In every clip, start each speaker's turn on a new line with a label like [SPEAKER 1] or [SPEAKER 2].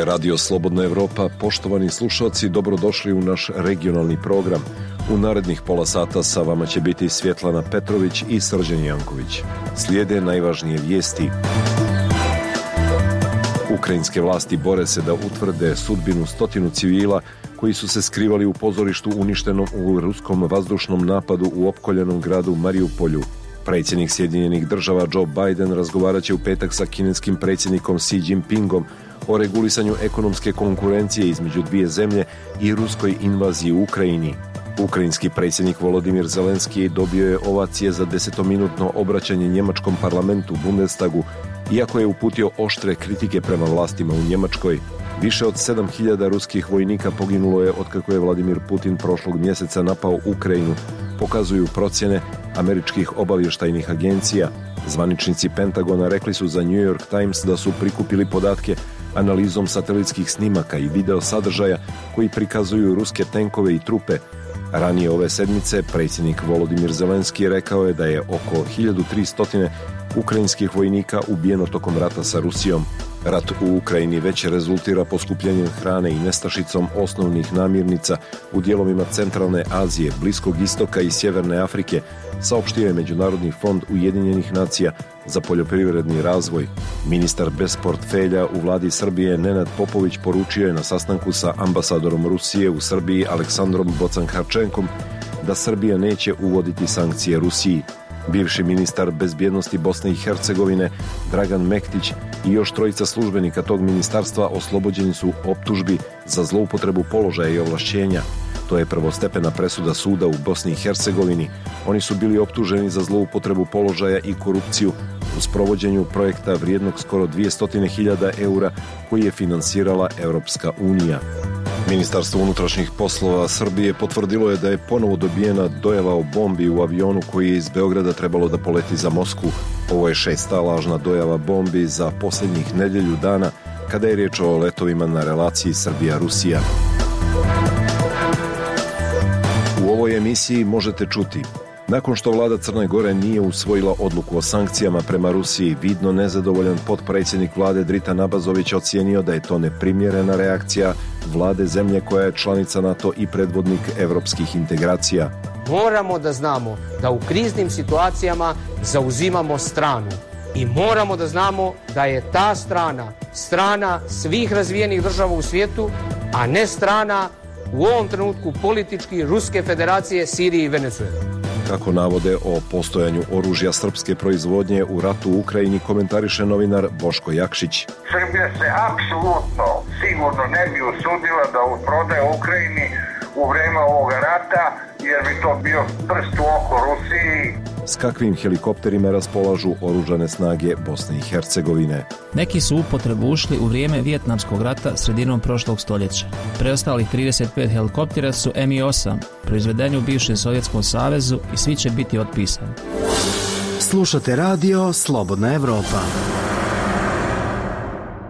[SPEAKER 1] je Radio Slobodna Evropa. Poštovani slušalci, dobrodošli u naš regionalni program. U narednih pola sata sa vama će biti Svjetlana Petrović i Srđan Janković. Slijede najvažnije vijesti. Ukrajinske vlasti bore se da utvrde sudbinu 100 civila koji su se skrivali u pozorištu uništenom u ruskom vazdušnom napadu u opkoljenom gradu Mariupolju. Predsjednik Sjedinjenih Država Joe Biden razgovarat će u petak sa kineskim predsjednikom Xi Jinpingom o regulisanju ekonomske konkurencije između dvije zemlje i ruskoj invaziji u Ukrajini. Ukrajinski predsjednik Volodimir Zelenski dobio je ovacije za 10-minutno obraćanje njemačkom parlamentu Bundestagu, iako je uputio oštre kritike prema vlastima u Njemačkoj. Više od 7.000 ruskih vojnika poginulo je otkako je Vladimir Putin prošlog mjeseca napao Ukrajinu, pokazuju procjene američkih obavještajnih agencija. Zvaničnici Pentagona rekli su za New York Times da su prikupili podatke analizom satelitskih snimaka i video sadržaja koji prikazuju ruske tenkove i trupe. Ranije ove sedmice predsjednik Volodimir Zelenski rekao je da je oko 1300 ukrajinskih vojnika ubijeno tokom rata sa Rusijom. Rat u Ukrajini već rezultira poskupljenjem hrane i nestašicom osnovnih namirnica u dijelovima Centralne Azije, Bliskog istoka i Sjeverne Afrike, saopštio je Međunarodni fond Ujedinjenih nacija za poljoprivredni razvoj. Ministar bez portfelja u vladi Srbije Nenad Popović poručio je na sastanku sa ambasadorom Rusije u Srbiji Aleksandrom Bocanharčenkom da Srbija neće uvoditi sankcije Rusiji. Bivši ministar bezbjednosti Bosne i Hercegovine Dragan Mektić i još trojica službenika tog ministarstva oslobođeni su optužbi za zloupotrebu položaja i ovlašćenja. To je prvostepena presuda suda u Bosni i Hercegovini. Oni su bili optuženi za zloupotrebu položaja i korupciju u sprovođenju projekta vrijednog skoro 200.000 eura koji je finansirala Europska unija. Ministarstvo unutrašnjih poslova Srbije potvrdilo je da je ponovo dobijena dojava o bombi u avionu koji je iz Beograda trebalo da poleti za Moskvu. Ovo je 6. lažna dojava bombi za posljednjih nedjelju dana kada je riječ o letovima na relaciji Srbija-Rusija. U ovoj emisiji možete čuti: nakon što vlada Crne Gore nije usvojila odluku o sankcijama prema Rusiji, vidno nezadovoljan potpredsjednik vlade Dritan Abazović ocijenio da je to neprimjerena reakcija vlade zemlje koja je članica NATO i predvodnik evropskih integracija.
[SPEAKER 2] Moramo da znamo da u kriznim situacijama zauzimamo stranu i moramo da znamo da je ta strana svih razvijenih država u svijetu, a ne strana u ovom trenutku politički Ruske federacije, Sirije i Venezuele.
[SPEAKER 1] Kako navode o postojanju oružja srpske proizvodnje u ratu u Ukrajini, komentariše novinar Boško Jakšić.
[SPEAKER 3] Srbija se apsolutno sigurno ne bi usudila da prodaje Ukrajini u vrijeme ovoga rata, jer bi to bio prst u oko Rusiji.
[SPEAKER 1] S kakvim helikopterima raspolažu oružane snage Bosne i Hercegovine?
[SPEAKER 4] Neki su u upotrebu ušli u vrijeme Vijetnamskog rata sredinom prošlog stoljeća. Preostalih 35 helikoptera su Mi-8, proizvedeni u bivšem Sovjetskom savezu, i svi će biti otpisani.
[SPEAKER 5] Slušate radio Slobodna Evropa.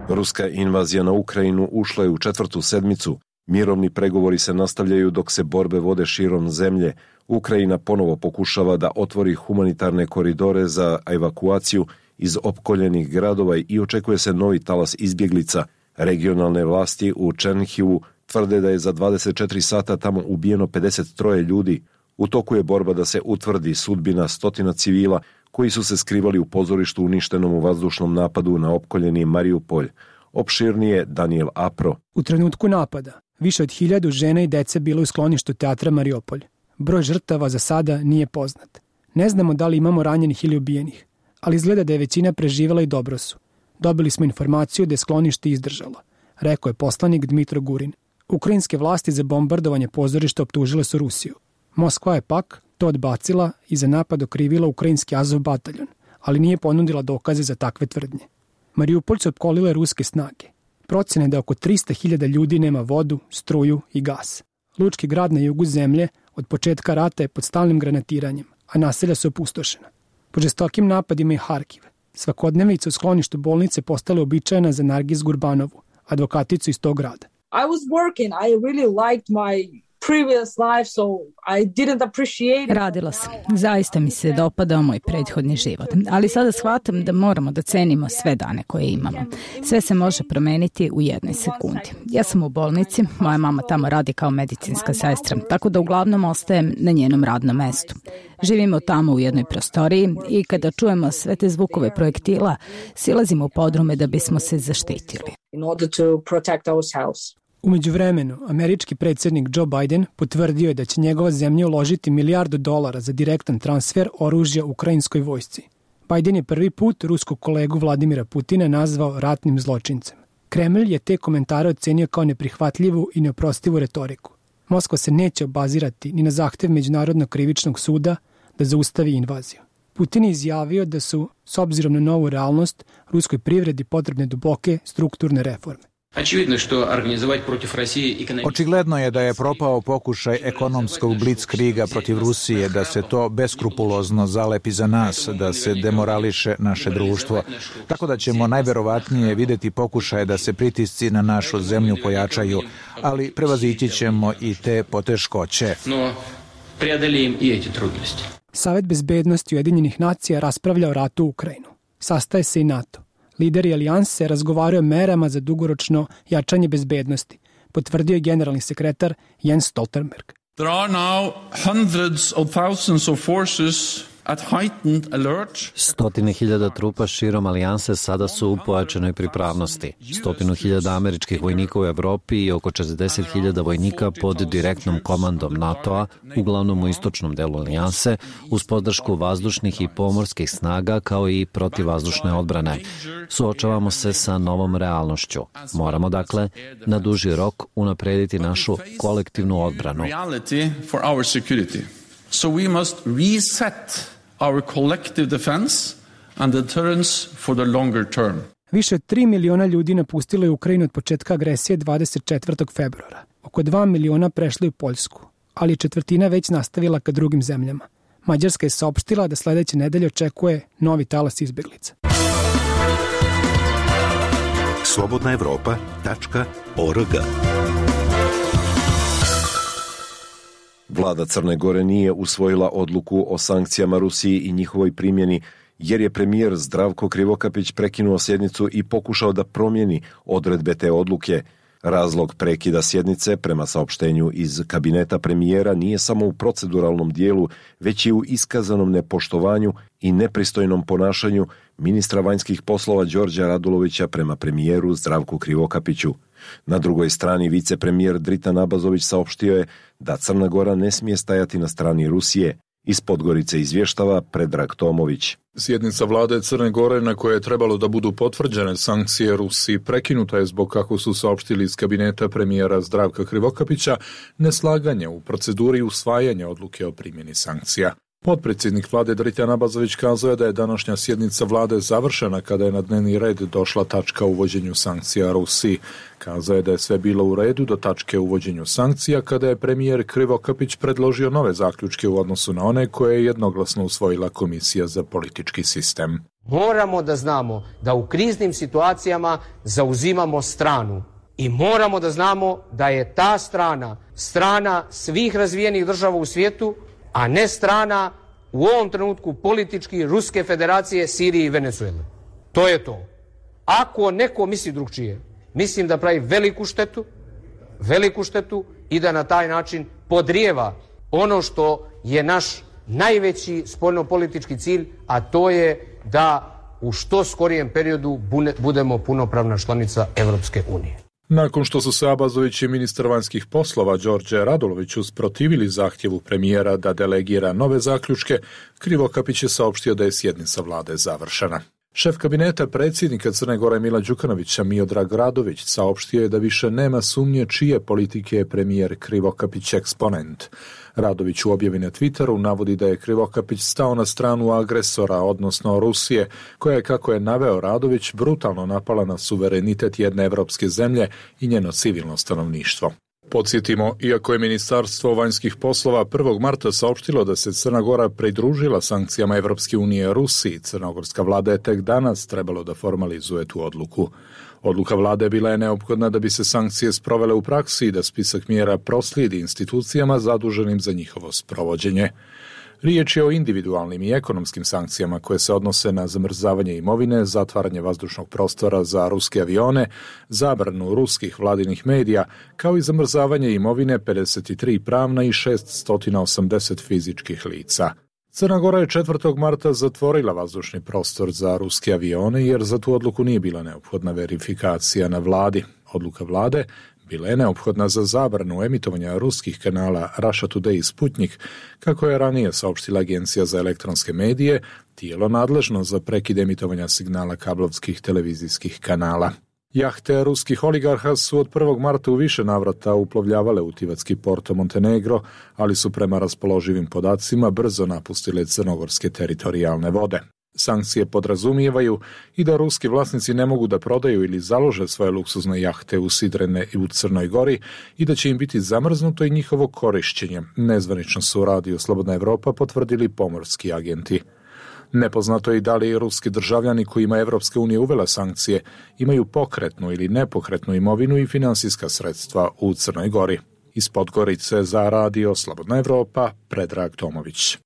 [SPEAKER 1] Ruska invazija na Ukrajinu ušla je u 4. sedmicu. Mirovni pregovori se nastavljaju dok se borbe vode širom zemlje. Ukrajina ponovo pokušava da otvori humanitarne koridore za evakuaciju iz opkoljenih gradova i očekuje se novi talas izbjeglica. Regionalne vlasti u Černihivu tvrde da je za 24 sata tamo ubijeno 53 ljudi. U toku je borba da se utvrdi sudbina 100 civila koji su se skrivali u pozorištu uništenom u vazdušnom napadu na opkoljeni Mariupolj. Opširnije Daniel Apro.
[SPEAKER 6] U trenutku napada više od 1000 žena i dece bilo u skloništu teatra Mariupolj. Broj žrtava za sada nije poznat. Ne znamo da li imamo ranjenih ili ubijenih, ali izgleda da je većina preživjela i dobro su. Dobili smo informaciju da je sklonište izdržalo, rekao je poslanik Dmitro Gurin. Ukrajinske vlasti za bombardovanje pozorišta optužile su Rusiju. Moskva je pak to odbacila i za napad okrivila ukrajinski Azov bataljon, ali nije ponudila dokaze za takve tvrdnje. Mariupolj su opkolile ruske snage. Procjena je da oko 300.000 ljudi nema vodu, struju i gas. Lučki grad na jugu zemlje od početka rata je pod stalnim granatiranjem, a naselja su opustošena. Po žestokim napadima i Harkiv, svakodnevica u skloništu bolnice postala uobičajena za Nargis Gurbanovu, advokaticu iz tog grada.
[SPEAKER 7] I was working. I really liked my Radila sam. Zaista mi se dopadao moj prethodni život. Ali sada shvatam da moramo da cenimo sve dane koje imamo. Sve se može promeniti u jednoj sekundi. Ja sam u bolnici, moja mama tamo radi kao medicinska sestra, tako da uglavnom ostajem na njenom radnom mestu. Živimo tamo u jednoj prostoriji i kada čujemo sve te zvukove projektila, silazimo u podrume da bismo se zaštitili.
[SPEAKER 6] U međuvremenu, američki predsjednik Joe Biden potvrdio je da će njegova zemlja uložiti $1 milijardu za direktan transfer oružja ukrajinskoj vojsci. Biden je prvi put ruskog kolegu Vladimira Putina nazvao ratnim zločincem. Kremlj je te komentare ocenio kao neprihvatljivu i neoprostivu retoriku. Moskva se neće obazirati ni na zahtev Međunarodnog krivičnog suda da zaustavi invaziju. Putin je izjavio da su, s obzirom na novu realnost, ruskoj privredi potrebne duboke strukturne reforme.
[SPEAKER 8] Očigledno je da je propao pokušaj ekonomskog blitzkriga protiv Rusije, da se to beskrupulozno zalepi za nas, da se demorališe naše društvo. Tako da ćemo najverovatnije videti pokušaje da se pritisci na našu zemlju pojačaju, ali prevazići ćemo i te poteškoće.
[SPEAKER 6] Savet bezbednosti Ujedinjenih nacija raspravlja o ratu u Ukrajinu. Sastaje se i NATO. Lideri alijanse razgovaraju o merama za dugoročno jačanje bezbednosti, potvrdio je generalni sekretar Jens Stoltenberg.
[SPEAKER 9] There are now hundreds of thousands of forces at heightened alert.
[SPEAKER 10] 100.000 trupa širom alijanse sada su u pojačanoj pripravnosti. 100.000 američkih vojnika u Evropi i oko 40.000 vojnika pod direktnom komandom NATO-a, uglavnom u istočnom delu alijanse, uz podršku vazdušnih i pomorskih snaga kao i protivvazdušne odbrane. Suočavamo se sa novom realnošću. Moramo, dakle, na duži rok unaprediti našu kolektivnu odbranu.
[SPEAKER 9] So we must reset our collective defense and deterrence for the longer term.
[SPEAKER 6] Više od 3 miliona ljudi napustilo je Ukrajinu od početka agresije 24. februara. Oko 2 miliona prešli u Poljsku, ali četvrtina već nastavila ka drugim zemljama. Mađarska je saopštila da sledeće nedelje očekuje novi talas izbeglica.
[SPEAKER 11] slobodnaevropa.org.
[SPEAKER 1] Vlada Crne Gore nije usvojila odluku o sankcijama Rusiji i njihovoj primjeni, jer je premijer Zdravko Krivokapić prekinuo sjednicu i pokušao da promijeni odredbe te odluke. Razlog prekida sjednice, prema saopštenju iz kabineta premijera, nije samo u proceduralnom dijelu, već i u iskazanom nepoštovanju i nepristojnom ponašanju ministra vanjskih poslova Đorđa Radulovića prema premijeru Zdravku Krivokapiću. Na drugoj strani vicepremijer Dritan Abazović saopštio je da Crna Gora ne smije stajati na strani Rusije. Iz Podgorice izvještava Predrag Tomović.
[SPEAKER 12] Sjednica vlade Crne Gore na koje je trebalo da budu potvrđene sankcije Rusiji prekinuta je zbog, kako su saopštili iz kabineta premijera Zdravka Krivokapića, neslaganje u proceduri usvajanja odluke o primjeni sankcija. Potpredsjednik vlade Dritan Abazović kazao je da je današnja sjednica vlade završena kada je na dnevni red došla tačka o uvođenju sankcija Rusiji. Kazao je da je sve bilo u redu do tačke o uvođenju sankcija kada je premijer Krivokapić predložio nove zaključke u odnosu na one koje je jednoglasno usvojila Komisija za politički sistem.
[SPEAKER 2] Moramo da znamo da u kriznim situacijama zauzimamo stranu i moramo da znamo da je ta strana svih razvijenih država u svijetu, a ne strana u ovom trenutku politički Ruske federacije, Sirije i Venezuele. To je to. Ako neko misli drugčije, mislim da pravi veliku štetu i da na taj način podrijeva ono što je naš najveći spoljnopolitički cilj, a to je da u što skorijem periodu budemo punopravna članica Evropske unije.
[SPEAKER 12] Nakon što su se Abazović i ministar vanjskih poslova Đorđe Radulović usprotivili zahtjevu premijera da delegira nove zaključke, Krivokapić je saopštio da je sjednica vlade završena. Šef kabineta predsjednika Crne Gore Mila Đukanovića Miodrag Radović saopštio je da više nema sumnje čije politike je premijer Krivokapić eksponent. Radović u objavi na Twitteru navodi da je Krivokapić stao na stranu agresora, odnosno Rusije, koja je, kako je naveo Radović, brutalno napala na suverenitet jedne evropske zemlje i njeno civilno stanovništvo. Podsjetimo, iako je Ministarstvo vanjskih poslova 1. marta saopštilo da se Crna Gora pridružila sankcijama Evropske unije Rusiji, crnogorska vlada je tek danas trebalo da formalizuje tu odluku. Odluka vlade bila je neophodna da bi se sankcije sprovele u praksi i da spisak mjera proslijedi institucijama zaduženim za njihovo sprovođenje. Riječ je o individualnim i ekonomskim sankcijama koje se odnose na zamrzavanje imovine, zatvaranje vazdušnog prostora za ruske avione, zabranu ruskih vladinih medija, kao i zamrzavanje imovine 53 pravna i 680 fizičkih lica. Crna Gora je 4. marta zatvorila vazdušni prostor za ruske avione jer za tu odluku nije bila neophodna verifikacija na vladi. Odluka vlade bila je neophodna za zabranu emitovanja ruskih kanala Russia Today i Sputnik, kako je ranije saopštila Agencija za elektronske medije, tijelo nadležno za prekid emitovanja signala kablovskih televizijskih kanala. Jahte ruskih oligarha su od 1. marta u više navrata uplovljavale u tivatski Porto Montenegro, ali su prema raspoloživim podacima brzo napustile crnogorske teritorijalne vode. Sankcije podrazumijevaju i da ruski vlasnici ne mogu da prodaju ili založe svoje luksuzne jahte usidrene i u Crnoj Gori i da će im biti zamrznuto i njihovo korišćenje. Nezvanično su u radiju Slobodna Evropa potvrdili pomorski agenti. Nepoznato je i da li ruski državljani kojima Evropska unija uvela sankcije imaju pokretnu ili nepokretnu imovinu i finansijska sredstva u Crnoj Gori. Iz Podgorice za radio Slobodna Evropa, Predrag Tomović.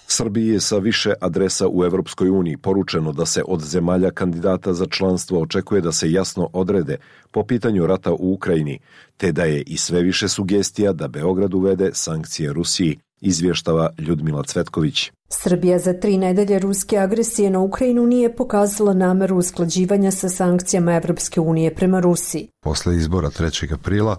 [SPEAKER 1] Srbiji je sa više adresa u Evropskoj uniji poručeno da se od zemalja kandidata za članstvo očekuje da se jasno odrede po pitanju rata u Ukrajini, te da je i sve više sugestija da Beograd uvede sankcije Rusiji, izvještava Ljudmila Cvetković.
[SPEAKER 11] Srbija za 3 nedelje ruske agresije na Ukrajinu nije pokazala nameru usklađivanja sa sankcijama Evropske unije prema Rusiji.
[SPEAKER 13] Posle izbora 3. aprila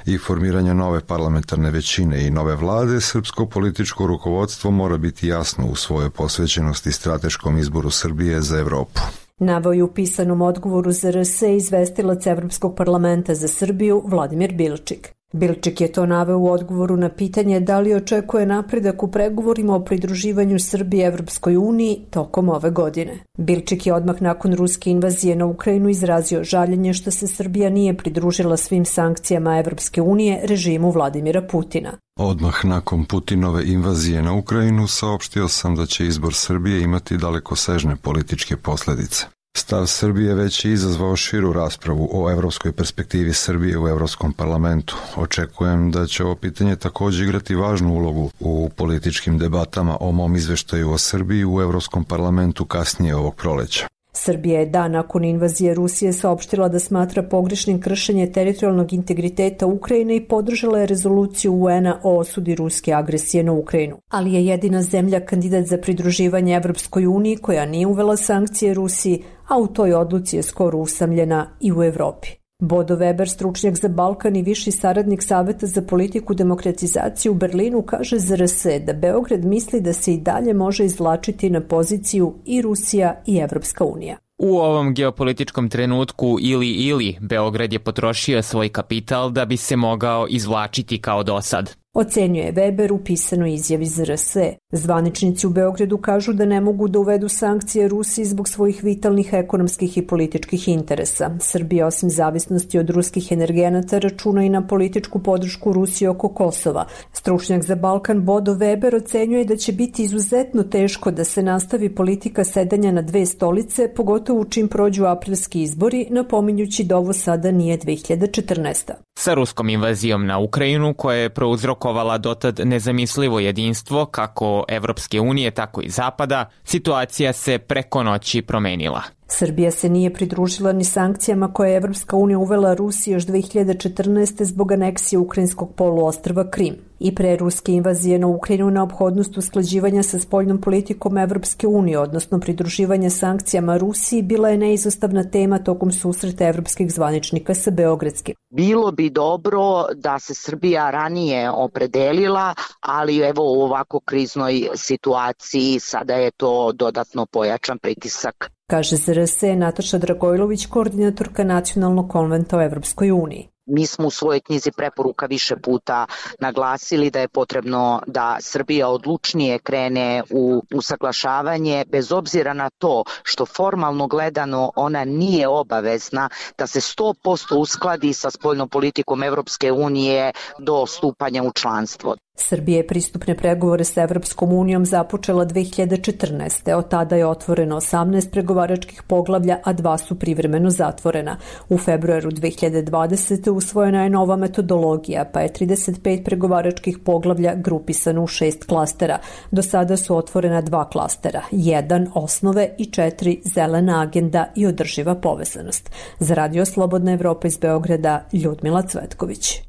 [SPEAKER 13] i formiranja nove parlamentarne većine i nove vlade, srpsko političko rukovodstvo mora biti jasno u svojoj posvećenosti strateškom izboru Srbije za Evropu.
[SPEAKER 11] Naveo je u pisanom odgovoru za RS izvestilac Evropskog parlamenta za Srbiju Vladimir Bilčik. Bilčik je to naveo u odgovoru na pitanje da li očekuje napredak u pregovorima o pridruživanju Srbije Evropskoj uniji tokom ove godine. Bilčik je odmah nakon ruske invazije na Ukrajinu izrazio žaljenje što se Srbija nije pridružila svim sankcijama Evropske unije režimu Vladimira Putina.
[SPEAKER 13] Odmah nakon Putinove invazije na Ukrajinu saopštio sam da će izbor Srbije imati dalekosežne političke posljedice. Stav Srbije već je izazvao širu raspravu o evropskoj perspektivi Srbije u Evropskom parlamentu. Očekujem da će ovo pitanje također igrati važnu ulogu u političkim debatama o mom izveštaju o Srbiji u Evropskom parlamentu kasnije ovog proleća.
[SPEAKER 11] Srbija je dan nakon invazije Rusije saopštila da smatra pogrešnim kršenje teritorijalnog integriteta Ukrajine i podržala je rezoluciju UN-a o osudi ruske agresije na Ukrajinu. Ali je jedina zemlja kandidat za pridruživanje Evropskoj uniji koja nije uvela sankcije Rusiji, a u toj odluci je skoro usamljena i u Evropi. Bodo Weber, stručnjak za Balkan i viši saradnik Saveta za politiku demokratizacije u Berlinu, kaže za RS da Beograd misli da se i dalje može izvlačiti na poziciju i Rusija i Evropska unija.
[SPEAKER 14] U ovom geopolitičkom trenutku ili Beograd je potrošio svoj kapital da bi se mogao izvlačiti kao dosad.
[SPEAKER 11] Ocenjuje Weber u pisanoj izjavi za RS. Zvaničnici u Beogradu kažu da ne mogu da uvedu sankcije Rusiji zbog svojih vitalnih ekonomskih i političkih interesa. Srbija osim zavisnosti od ruskih energenata računa i na političku podršku Rusije oko Kosova. Stručnjak za Balkan Bodo Weber ocenjuje da će biti izuzetno teško da se nastavi politika sedanja na dve stolice, pogotovo čim prođu aprilski izbori, napominjući da ovo sada nije 2014.
[SPEAKER 14] Sa ruskom invazijom na Ukrajinu, koja je prouzrokovala dotad nezamislivo jedinstvo kako Evropske unije, tako i Zapada, situacija se preko noći promenila.
[SPEAKER 11] Srbija se nije pridružila ni sankcijama koje je Evropska unija uvela Rusiji još 2014. zbog aneksije ukrajinskog poluostrva Krim. I pre ruske invazije na Ukrajinu neophodnost usklađivanja sa spoljnom politikom Evropske unije, odnosno pridruživanja sankcijama Rusiji, bila je neizostavna tema tokom susreta evropskih zvaničnika sa beogradskim.
[SPEAKER 15] Bilo bi dobro da se Srbija ranije opredelila, ali evo u ovako kriznoj situaciji sada je to dodatno pojačan pritisak.
[SPEAKER 11] Kaže za RS Nataša Dragojlović, koordinatorka Nacionalnog konventa o Evropskoj uniji.
[SPEAKER 15] Mi smo u svojoj knjizi preporuka više puta naglasili da je potrebno da Srbija odlučnije krene u usaglašavanje, bez obzira na to što formalno gledano ona nije obavezna da se 100% uskladi sa spoljnom politikom Evropske unije do stupanja u članstvo.
[SPEAKER 11] Srbija je pristupne pregovore sa Evropskom unijom započela 2014. Od tada je otvoreno 18 pregovaračkih poglavlja, a 2 su privremeno zatvorena. U februaru 2020. usvojena je nova metodologija, pa je 35 pregovaračkih poglavlja grupisano u 6 klastera. Do sada su otvorena 2 klastera, 1 osnove i 4 zelena agenda i održiva povezanost. Za Radio Slobodna Evropa iz Beograda, Ljudmila Cvetković.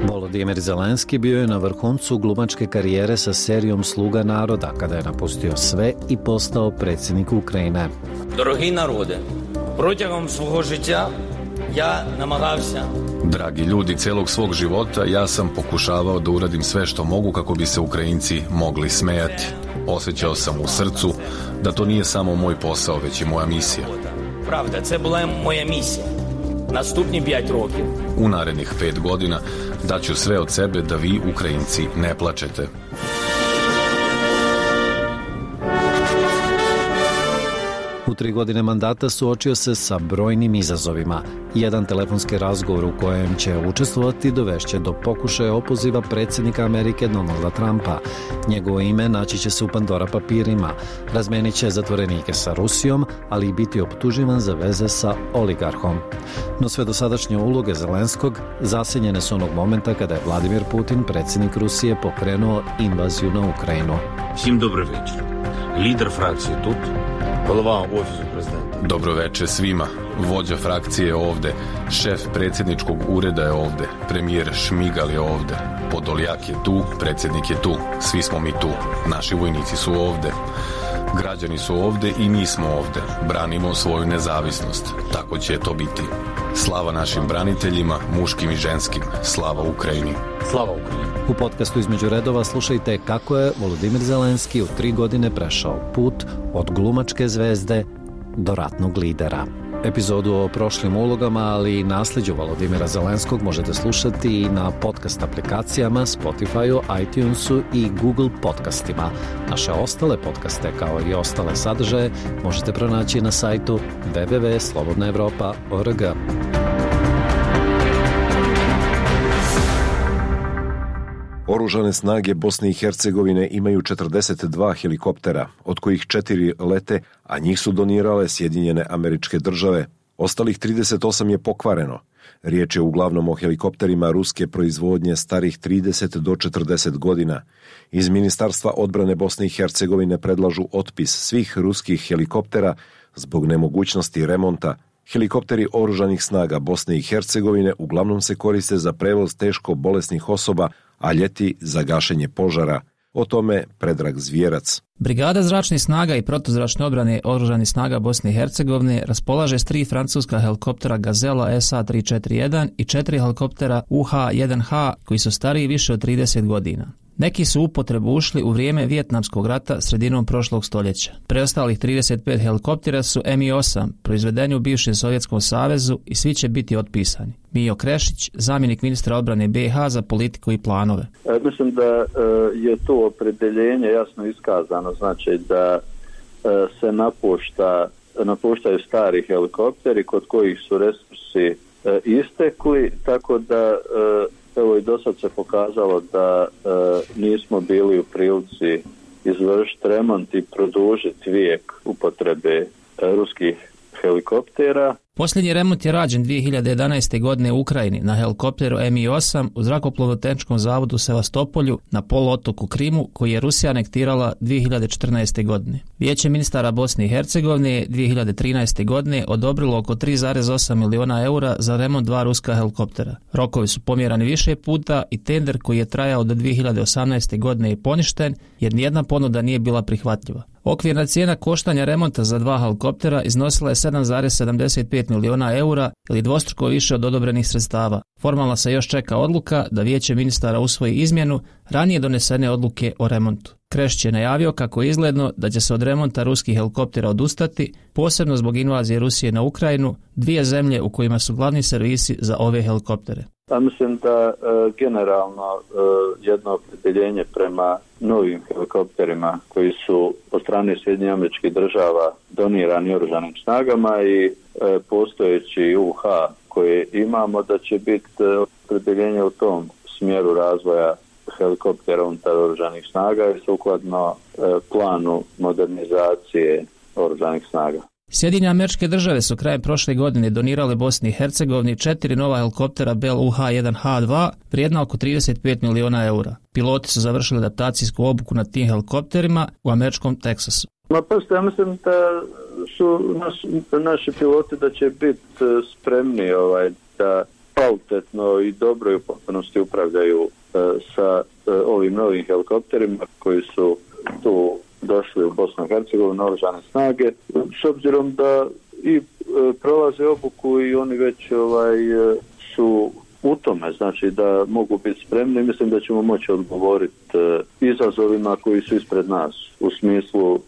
[SPEAKER 10] Volodimir Zelenski bio je na vrhuncu glumačke karijere sa serijom Sluga naroda, kada je napustio sve i postao predsjednik Ukrajine.
[SPEAKER 16] Дорогі народи, протягом свого життя ja namagavся.
[SPEAKER 17] Dragi ljudi, celog svog života ja sam pokušavao da uradim sve što mogu kako bi se Ukrajinci mogli smejati. Osjećao sam u srcu da to nije samo moj posao, već i moja misija.
[SPEAKER 16] Правда, це була моя місія. Наступні 5 років.
[SPEAKER 17] U narednih 5 godina daću sve od sebe da vi, Ukrajinci, ne plačete.
[SPEAKER 10] U 3 godine mandata suočio se sa brojnim izazovima. Jedan telefonski razgovor u kojem će učestvovati dovešće do pokušaja opoziva predsjednika Amerike Donalda Trumpa. Njegovo ime naći će se u Pandora papirima. Razmenit će zatvorenike sa Rusijom, ali i biti optuživan za veze sa oligarhom. No sve dosadašnje uloge Zelenskog zasenjene su onog momenta kada je Vladimir Putin, predsjednik Rusije, pokrenuo invaziju na Ukrajinu.
[SPEAKER 18] Всім добрий вечір. Лідер фракції тут, голова офісу президента.
[SPEAKER 17] Dobro veče svima. Vođa frakcije je ovde, šef predsjedničkog ureda je ovde, premijer Šmigal je ovde, Podoljak je tu, predsjednik je tu, svi smo mi tu, naši vojnici su ovde. Građani su ovde i mi smo ovde. Branimo svoju nezavisnost. Tako će to biti. Slava našim braniteljima, muškim i ženskim. Slava Ukrajini.
[SPEAKER 18] Slava Ukrajini.
[SPEAKER 10] U podcastu Između redova slušajte kako je Volodimir Zelenski u 3 godine prešao put od glumačke zvezde do ratnog lidera. Epizodu o prošlim ulogama, ali i nasljeđu Volodimira Zelenskog možete slušati i na podcast aplikacijama, Spotifyu, iTunesu i Google podcastima. Naše ostale podcaste, kao i ostale sadržaje, možete pronaći na sajtu www.slobodnaevropa.org.
[SPEAKER 1] Oružane snage Bosne i Hercegovine imaju 42 helikoptera, od kojih 4 lete, a njih su donirale Sjedinjene Američke Države. Ostalih 38 je pokvareno. Riječ je uglavnom o helikopterima ruske proizvodnje starih 30 do 40 godina. Iz Ministarstva odbrane Bosne i Hercegovine predlažu otpis svih ruskih helikoptera zbog nemogućnosti remonta. Helikopteri oružanih snaga Bosne i Hercegovine uglavnom se koriste za prevoz teško bolesnih osoba, a ljeti za gašenje požara. O tome Predrag Zvijerac.
[SPEAKER 4] Brigada zračnih snaga i protuzračne odbrane oružanih snaga Bosne i Hercegovine raspolaže s 3 francuska helikoptera Gazela SA-341 i 4 helikoptera UH-1H koji su stariji više od 30 godina. Neki su u upotrebu ušli u vrijeme Vijetnamskog rata sredinom prošlog stoljeća. Preostalih 35 helikoptera su Mi-8, proizvedeni u bivšem Sovjetskom savezu i svi će biti otpisani. Mijo Krešić, zamjenik ministra odbrane BiH za politiku i planove.
[SPEAKER 19] Mislim da je to opredeljenje jasno iskazano, znači da se napuštaju stari helikopteri kod kojih su resursi istekli, tako da evo i do sad se pokazalo da nismo bili u prilici izvršiti remont i produžiti vijek upotrebe ruskih helikoptera.
[SPEAKER 4] Posljednji remont je rađen 2011. godine u Ukrajini na helikopteru Mi-8 u zrakoplovno-tehničkom zavodu u Sevastopolju na poluotoku Krimu, koji je Rusija anektirala 2014. godine. Vijeće ministara Bosne i Hercegovine 2013. godine odobrilo oko 3,8 miliona eura za remont 2 ruska helikoptera. Rokovi su pomjerani više puta i tender koji je trajao do 2018. godine je poništen jer nijedna ponuda nije bila prihvatljiva. Okvirna cijena koštanja remonta za 2 helikoptera iznosila je 7,75 miliona eura ili dvostruko više od odobrenih sredstava. Formalno se još čeka odluka da Vijeće ministara usvoji izmjenu ranije donesene odluke o remontu. Krešić je najavio kako je izgledno da će se od remonta ruskih helikoptera odustati, posebno zbog invazije Rusije na Ukrajinu, 2 zemlje u kojima su glavni servisi za ove helikoptere.
[SPEAKER 19] Mislim da generalno jedno opredjeljenje prema novim helikopterima koji su od strane Sjedinjenih Američkih Država donirani oružanim snagama i postojeći UH koje imamo, da će biti opredjeljenje u tom smjeru razvoja helikoptera unutar oružanih snaga i sukladno planu modernizacije oružanih snaga.
[SPEAKER 4] Sjedinjene Američke Države su krajem prošle godine donirale Bosni i Hercegovini 4 nova helikoptera Bell UH-1H2 vrijedna oko 35 miliona eura. Piloti su završili adaptacijsku obuku na tim helikopterima u američkom Teksasu.
[SPEAKER 19] Ja mislim da su naši piloti da će biti spremni da kvalitetno i dobro i u potpunosti upravljaju sa ovim novim helikopterima koji su tu došli u Bosnu i Hercegovinu, oružane snage, s obzirom da i prolaze obuku i oni već su u tome, znači da mogu biti spremni. Mislim da ćemo moći odgovoriti izazovima koji su ispred nas u smislu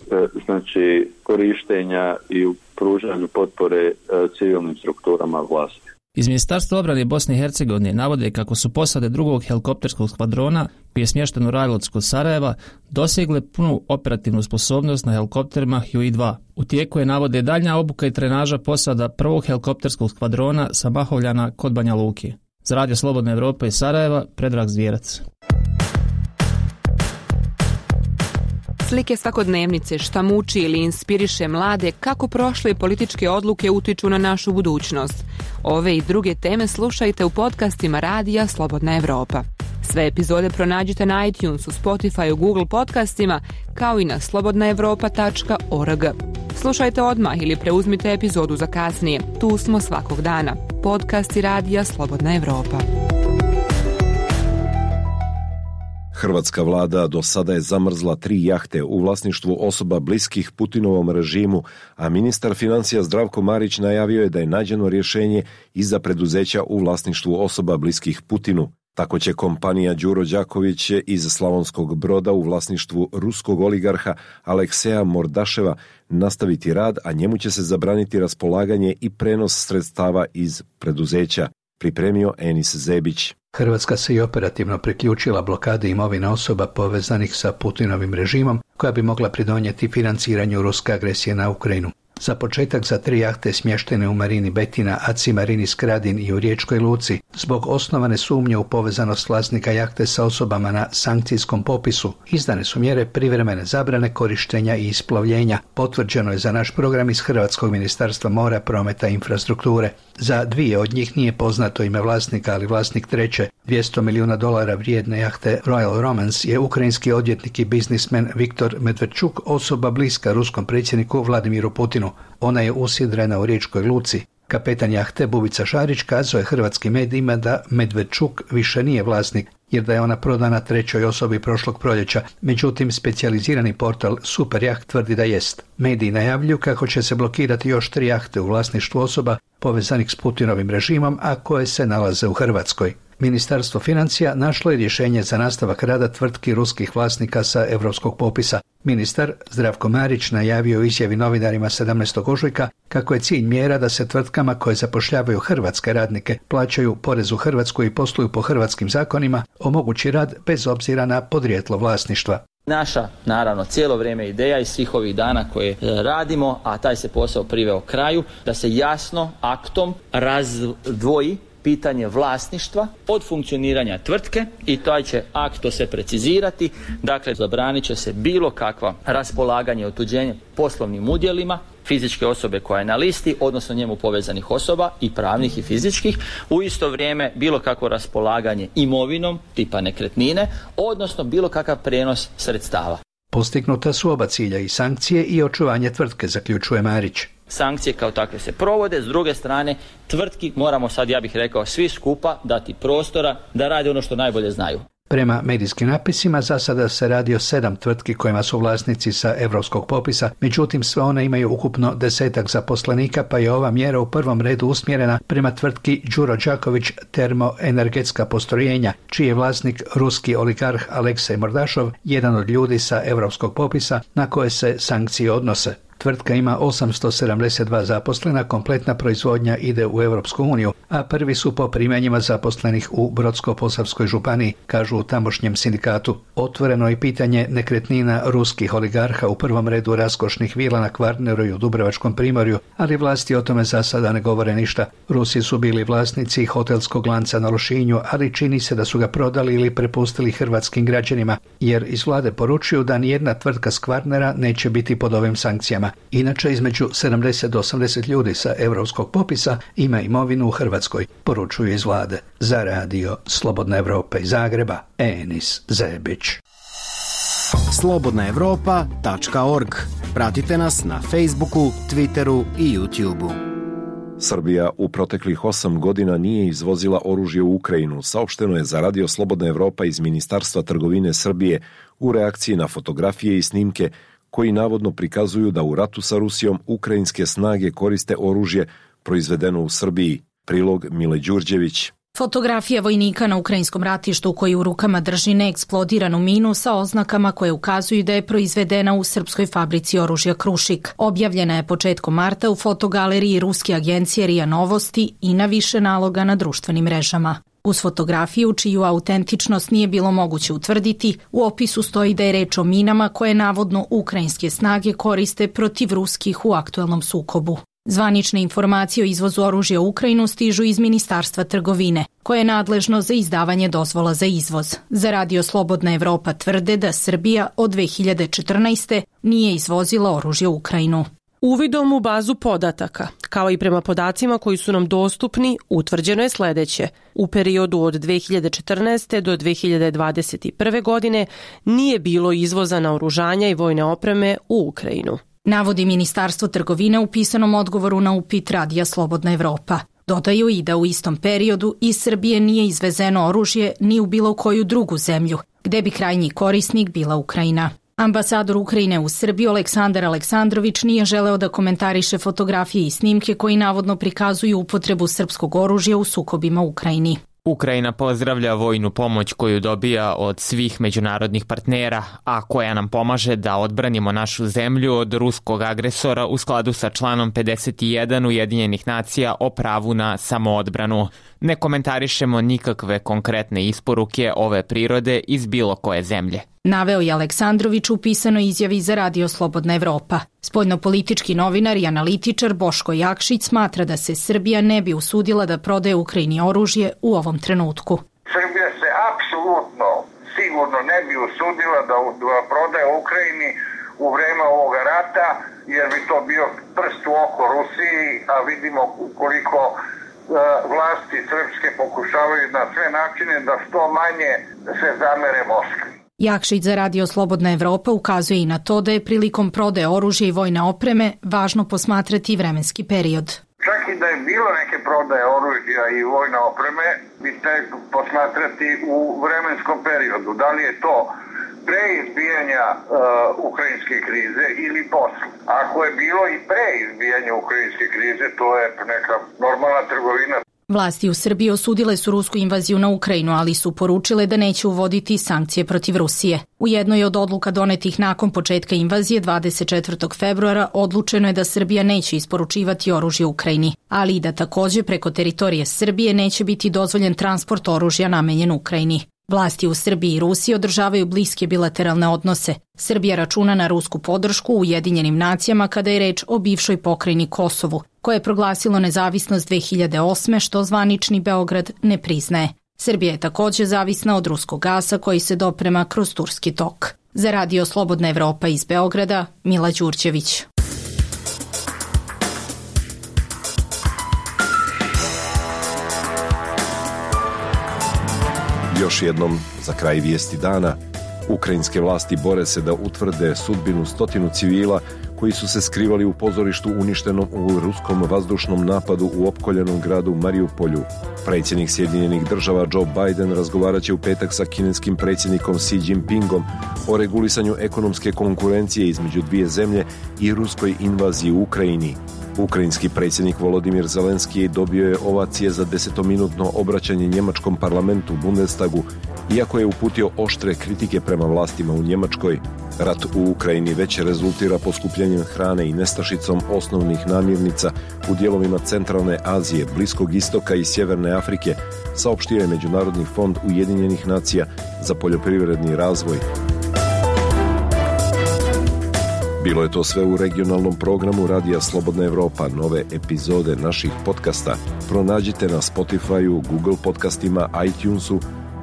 [SPEAKER 19] znači korištenja i u pružanju potpore civilnim strukturama vlasti.
[SPEAKER 4] Iz Ministarstva obrane Bosne i Hercegovine navode kako su posade drugog helikopterskog skvadrona, koji je smješten u Rajlovcu kod Sarajeva, dosegle punu operativnu sposobnost na helikopterima Huey-2. U tijeku je, navode, daljnja obuka i trenaža posada prvog helikopterskog skvadrona sa Mahovljana kod Banja Luke. Za Radio Slobodna Evropa iz Sarajeva, Predrag Zvijerac.
[SPEAKER 20] Slike svakodnevnice, šta muči ili inspiriše mlade, kako prošle političke odluke utiču na našu budućnost. Ove i druge teme slušajte u podcastima Radija Slobodna Evropa. Sve epizode pronađite na iTunesu, Spotifyu, Google podcastima, kao i na slobodnaevropa.org. Slušajte odmah ili preuzmite epizodu za kasnije. Tu smo svakog dana. Podcasti Radija Slobodna Evropa.
[SPEAKER 1] Hrvatska vlada do sada je zamrzla 3 jahte u vlasništvu osoba bliskih Putinovom režimu, a ministar financija Zdravko Marić najavio je da je nađeno rješenje i za preduzeća u vlasništvu osoba bliskih Putinu. Tako će kompanija Đuro Đaković iz Slavonskog Broda u vlasništvu ruskog oligarha Alekseja Mordaševa nastaviti rad, a njemu će se zabraniti raspolaganje i prenos sredstava iz preduzeća, pripremio Enis Zebić.
[SPEAKER 21] Hrvatska se i operativno priključila blokadi imovine osoba povezanih sa Putinovim režimom, koja bi mogla pridonijeti financiranju ruske agresije na Ukrajinu. Za početak za 3 jahte smještene u marini Betina, ACI marini Skradin i u Riječkoj luci, zbog osnovane sumnje u povezanost vlasnika jahte sa osobama na sankcijskom popisu, izdane su mjere privremene zabrane korištenja i isplovljenja. Potvrđeno je za naš program iz Hrvatskog ministarstva mora, prometa i infrastrukture. Za 2 od njih nije poznato ime vlasnika, ali vlasnik treće, $200 milijuna vrijedne jahte Royal Romance, je ukrajinski odvjetnik i biznismen Viktor Medvedčuk, osoba bliska ruskom predsjedniku Vladimiru Putinu. Ona je usidrena u Riječkoj luci. Kapetan jahte Bubica Šarić kazao je hrvatskim medijima da Medvedčuk više nije vlasnik, jer da je ona prodana trećoj osobi prošlog proljeća. Međutim, specijalizirani portal Superjaht tvrdi da jest. Mediji najavljuju kako će se blokirati još 3 jahte u vlasništvu osoba povezanih s Putinovim režimom, a koje se nalaze u Hrvatskoj. Ministarstvo financija našlo je rješenje za nastavak rada tvrtki ruskih vlasnika sa europskog popisa. Ministar Zdravko Marić najavio u izjavi novinarima 17. ožujka kako je cilj mjera da se tvrtkama koje zapošljavaju hrvatske radnike, plaćaju porez u Hrvatskoj i posluju po hrvatskim zakonima, omogući rad bez obzira na podrijetlo vlasništva.
[SPEAKER 22] Naša, naravno, cijelo vrijeme ideja iz svih ovih dana koje radimo, a taj se posao priveo kraju, da se jasno aktom razdvoji pitanje vlasništva od funkcioniranja tvrtke i taj će akt to se precizirati. Dakle, zabranit će se bilo kakva raspolaganje i otuđenje poslovnim udjelima fizičke osobe koja je na listi, odnosno njemu povezanih osoba i pravnih i fizičkih. U isto vrijeme bilo kakvo raspolaganje imovinom tipa nekretnine, odnosno bilo kakav prijenos sredstava.
[SPEAKER 21] Postignuta su oba cilja, i sankcije i očuvanje tvrtke, zaključuje Marić.
[SPEAKER 22] Sankcije kao takve se provode, s druge strane tvrtki moramo sad, ja bih rekao, svi skupa dati prostora da rade ono što najbolje znaju.
[SPEAKER 21] Prema medijskim napisima, za sada se radi o 7 tvrtki kojima su vlasnici sa europskog popisa, međutim sve one imaju ukupno 10 zaposlenika, pa je ova mjera u prvom redu usmjerena prema tvrtki Đuro Đaković termoenergetska postrojenja, čiji je vlasnik ruski oligarh Aleksej Mordašov, jedan od ljudi sa europskog popisa na koje se sankcije odnose. Tvrtka ima 872 zaposlena, kompletna proizvodnja ide u Europsku uniju, a prvi su po primanjima zaposlenih u Brodsko-Posavskoj županiji, kažu u tamošnjem sindikatu. Otvoreno je pitanje nekretnina ruskih oligarha, u prvom redu raskošnih vila na Kvarneru i u Dubrovačkom primorju, ali vlasti o tome za sada ne govore ništa. Rusi su bili vlasnici hotelskog lanca na Lošinju, ali čini se da su ga prodali ili prepustili hrvatskim građanima, jer iz vlade poručuju da nijedna tvrtka s Kvarnera neće biti pod ovim sankcijama. Inače, između 70 do 80 ljudi sa europskog popisa ima imovinu u Hrvatskoj, poručuju iz vlade. Za radio Slobodna Evropa iz Zagreba, Enis Zebić.
[SPEAKER 3] slobodnaevropa.org. Pratite nas na Facebooku, Twitteru i YouTubeu.
[SPEAKER 1] Srbija u proteklih 8 godina nije izvozila oružje u Ukrajinu, saopšteno je za radio Slobodna Evropa iz Ministarstva trgovine Srbije u reakciji na fotografije i snimke koji navodno prikazuju da u ratu sa Rusijom ukrajinske snage koriste oružje proizvedeno u Srbiji. Prilog Mile Đurđević.
[SPEAKER 5] Fotografija vojnika na ukrajinskom ratištu koji u rukama drži neeksplodiranu minu sa oznakama koje ukazuju da je proizvedena u srpskoj fabrici oružja Krušik. Objavljena je početkom marta u fotogaleriji ruske agencije RIA Novosti i na više naloga na društvenim mrežama. Uz fotografiju, čiju autentičnost nije bilo moguće utvrditi, u opisu stoji da je reč o minama koje navodno ukrajinske snage koriste protiv ruskih u aktuelnom sukobu. Zvanične informacije o izvozu oružja u Ukrajinu stižu iz Ministarstva trgovine, koje je nadležno za izdavanje dozvola za izvoz. Za radio Slobodna Evropa tvrde da Srbija od 2014. nije izvozila oružje u Ukrajinu.
[SPEAKER 23] Uvidom u bazu podataka, kao i prema podacima koji su nam dostupni, utvrđeno je sledeće. U periodu od 2014. do 2021. godine nije bilo izvoza naoružanja i vojne opreme u Ukrajinu,
[SPEAKER 5] navodi Ministarstvo trgovine u pisanom odgovoru na upit radija Slobodna Evropa. Dodaju i da u istom periodu iz Srbije nije izvezeno oružje ni u bilo koju drugu zemlju, gde bi krajnji korisnik bila Ukrajina. Ambasador Ukrajine u Srbiji Aleksandar Aleksandrović nije želeo da komentariše fotografije i snimke koji navodno prikazuju upotrebu srpskog oružja u sukobima u Ukrajini.
[SPEAKER 14] Ukrajina pozdravlja vojnu pomoć koju dobija od svih međunarodnih partnera, a koja nam pomaže da odbranimo našu zemlju od ruskog agresora u skladu sa članom 51 Ujedinjenih nacija o pravu na samoodbranu. Ne komentarišemo nikakve konkretne isporuke ove prirode iz bilo koje zemlje,
[SPEAKER 5] naveo je Aleksandrović u pisanoj izjavi za radio Slobodna Evropa. Spoljnopolitički novinar i analitičar Boško Jakšić smatra da se Srbija ne bi usudila da prodaje Ukrajini oružje u ovom trenutku.
[SPEAKER 24] Srbija se apsolutno sigurno ne bi usudila da prodaje Ukrajini u vreme ovoga rata, jer bi to bio prst u oko Rusiji, a vidimo koliko vlasti srpske pokušavaju na sve načine da što manje se zamere Moskvi.
[SPEAKER 5] Jakšić za radio Slobodna Evropa ukazuje i na to da je prilikom prodaje oružja i vojne opreme važno posmatrati vremenski period.
[SPEAKER 24] Čak i da je bilo neke prodaje oružja i vojne opreme, bi te posmatrati u vremenskom periodu. Da li je to pre izbijanja ukrajinske krize ili posle. Ako je bilo i pre izbijanja ukrajinske krize, to je neka normalna trgovina.
[SPEAKER 5] Vlasti u Srbiji osudile su rusku invaziju na Ukrajinu, ali su poručile da neće uvoditi sankcije protiv Rusije. U jednoj od odluka donetih nakon početka invazije 24. februara odlučeno je da Srbija neće isporučivati oružje Ukrajini, ali i da takođe preko teritorije Srbije neće biti dozvoljen transport oružja namenjen Ukrajini. Vlasti u Srbiji i Rusiji održavaju bliske bilateralne odnose. Srbija računa na rusku podršku u Ujedinjenim nacijama kada je reč o bivšoj pokrajini Kosovu, koje je proglasilo nezavisnost 2008. što zvanični Beograd ne priznaje. Srbija je takođe zavisna od ruskog gasa koji se doprema kroz Turski tok. Za radio Slobodna Evropa iz Beograda, Mila Đurđević.
[SPEAKER 1] Još jednom, za kraj vijesti dana, ukrajinske vlasti bore se da utvrde sudbinu 100 civila koji su se skrivali u pozorištu uništenom u ruskom vazdušnom napadu u opkoljenom gradu Mariupolju. Predsjednik Sjedinjenih država Joe Biden razgovarat će u petak sa kineskim predsjednikom Xi Jinpingom o regulisanju ekonomske konkurencije između dvije zemlje i ruskoj invaziji u Ukrajini. Ukrajinski predsjednik Volodimir Zelenski dobio je ovacije za 10-minutno obraćanje njemačkom parlamentu Bundestagu, iako je uputio oštre kritike prema vlastima u Njemačkoj. Rat u Ukrajini već rezultira poskupljenjem hrane i nestašicom osnovnih namirnica u dijelovima Centralne Azije, Bliskog istoka i Sjeverne Afrike, saopštio je Međunarodni fond Ujedinjenih nacija za poljoprivredni razvoj. Bilo je to sve u regionalnom programu Radija Slobodna Evropa. Nove epizode naših podcasta pronađite na Spotify-u, Google podcastima, iTunesu,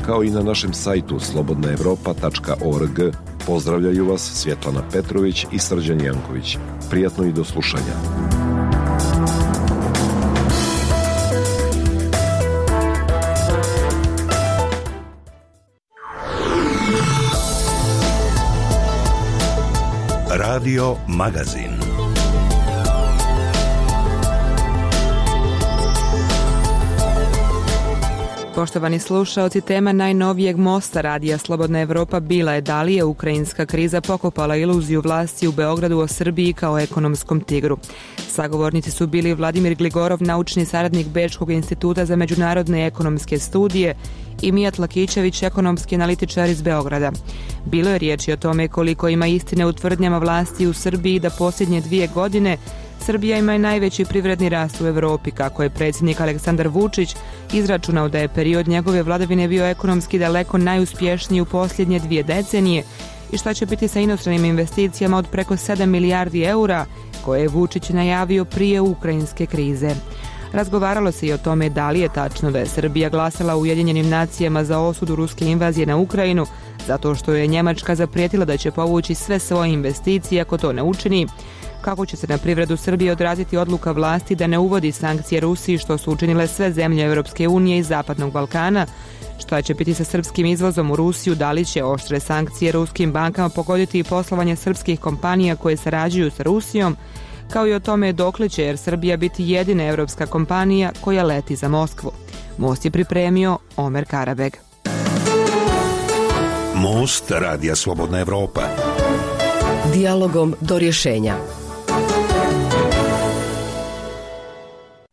[SPEAKER 1] kao i na našem sajtu slobodnaevropa.org. Pozdravljaju vas Svjetlana Petrović i Srđan Janković. Prijatno i do slušanja.
[SPEAKER 6] Radio Magazin.
[SPEAKER 20] Poštovani slušaoci, tema najnovijeg mosta Radija Slobodna Evropa bila je da li je ukrajinska kriza pokopala iluziju vlasti u Beogradu o Srbiji kao ekonomskom tigru. Sagovornici su bili Vladimir Gligorov, naučni saradnik Bečkog instituta za međunarodne ekonomske studije, i Mijat Lakićević, ekonomski analitičar iz Beograda. Bilo je riječi o tome koliko ima istine u tvrdnjama vlasti u Srbiji da posljednje 2 godine Srbija ima najveći privredni rast u Evropi, kako je predsjednik Aleksandar Vučić izračunao da je period njegove vladavine bio ekonomski daleko najuspješniji u posljednje 2 decenije i šta će biti sa inostranim investicijama od preko 7 milijardi eura koje je Vučić najavio prije ukrajinske krize. Razgovaralo se i o tome da li je tačno da je Srbija glasala u Ujedinjenim nacijama za osudu ruske invazije na Ukrajinu zato što je Njemačka zaprijetila da će povući sve svoje investicije ako to ne učini, kako će se na privredu Srbije odraziti odluka vlasti da ne uvodi sankcije Rusiji što su učinile sve zemlje Europske unije i Zapadnog Balkana, šta će biti sa srpskim izvozom u Rusiju, da li će oštre sankcije ruskim bankama pogoditi i poslovanje srpskih kompanija koje sarađuju sa Rusijom, kao i o tome dokle će Air Srbija biti jedina evropska kompanija koja leti za Moskvu. Most je pripremio Omer Karabeg.
[SPEAKER 6] Most Radija Slobodna Evropa.
[SPEAKER 7] Dijalogom do rješenja.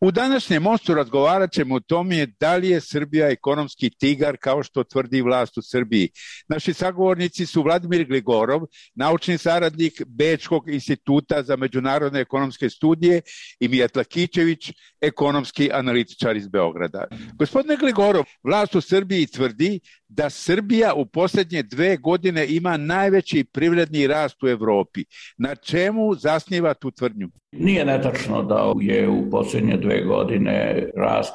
[SPEAKER 8] U današnjem mostu razgovarat ćemo o tome da li je Srbija ekonomski tigar kao što tvrdi vlast u Srbiji. Naši sagovornici su Vladimir Gligorov, naučni saradnik Bečkog instituta za međunarodne ekonomske studije, i Mijat Lakićević, ekonomski analitičar iz Beograda. Gospodine Gligorov, vlast u Srbiji tvrdi da Srbija u posljednje 2 godine ima najveći privredni rast u Evropi. Na čemu zasniva tu tvrdnju?
[SPEAKER 9] Nije netačno da je u posljednje 2 godine rast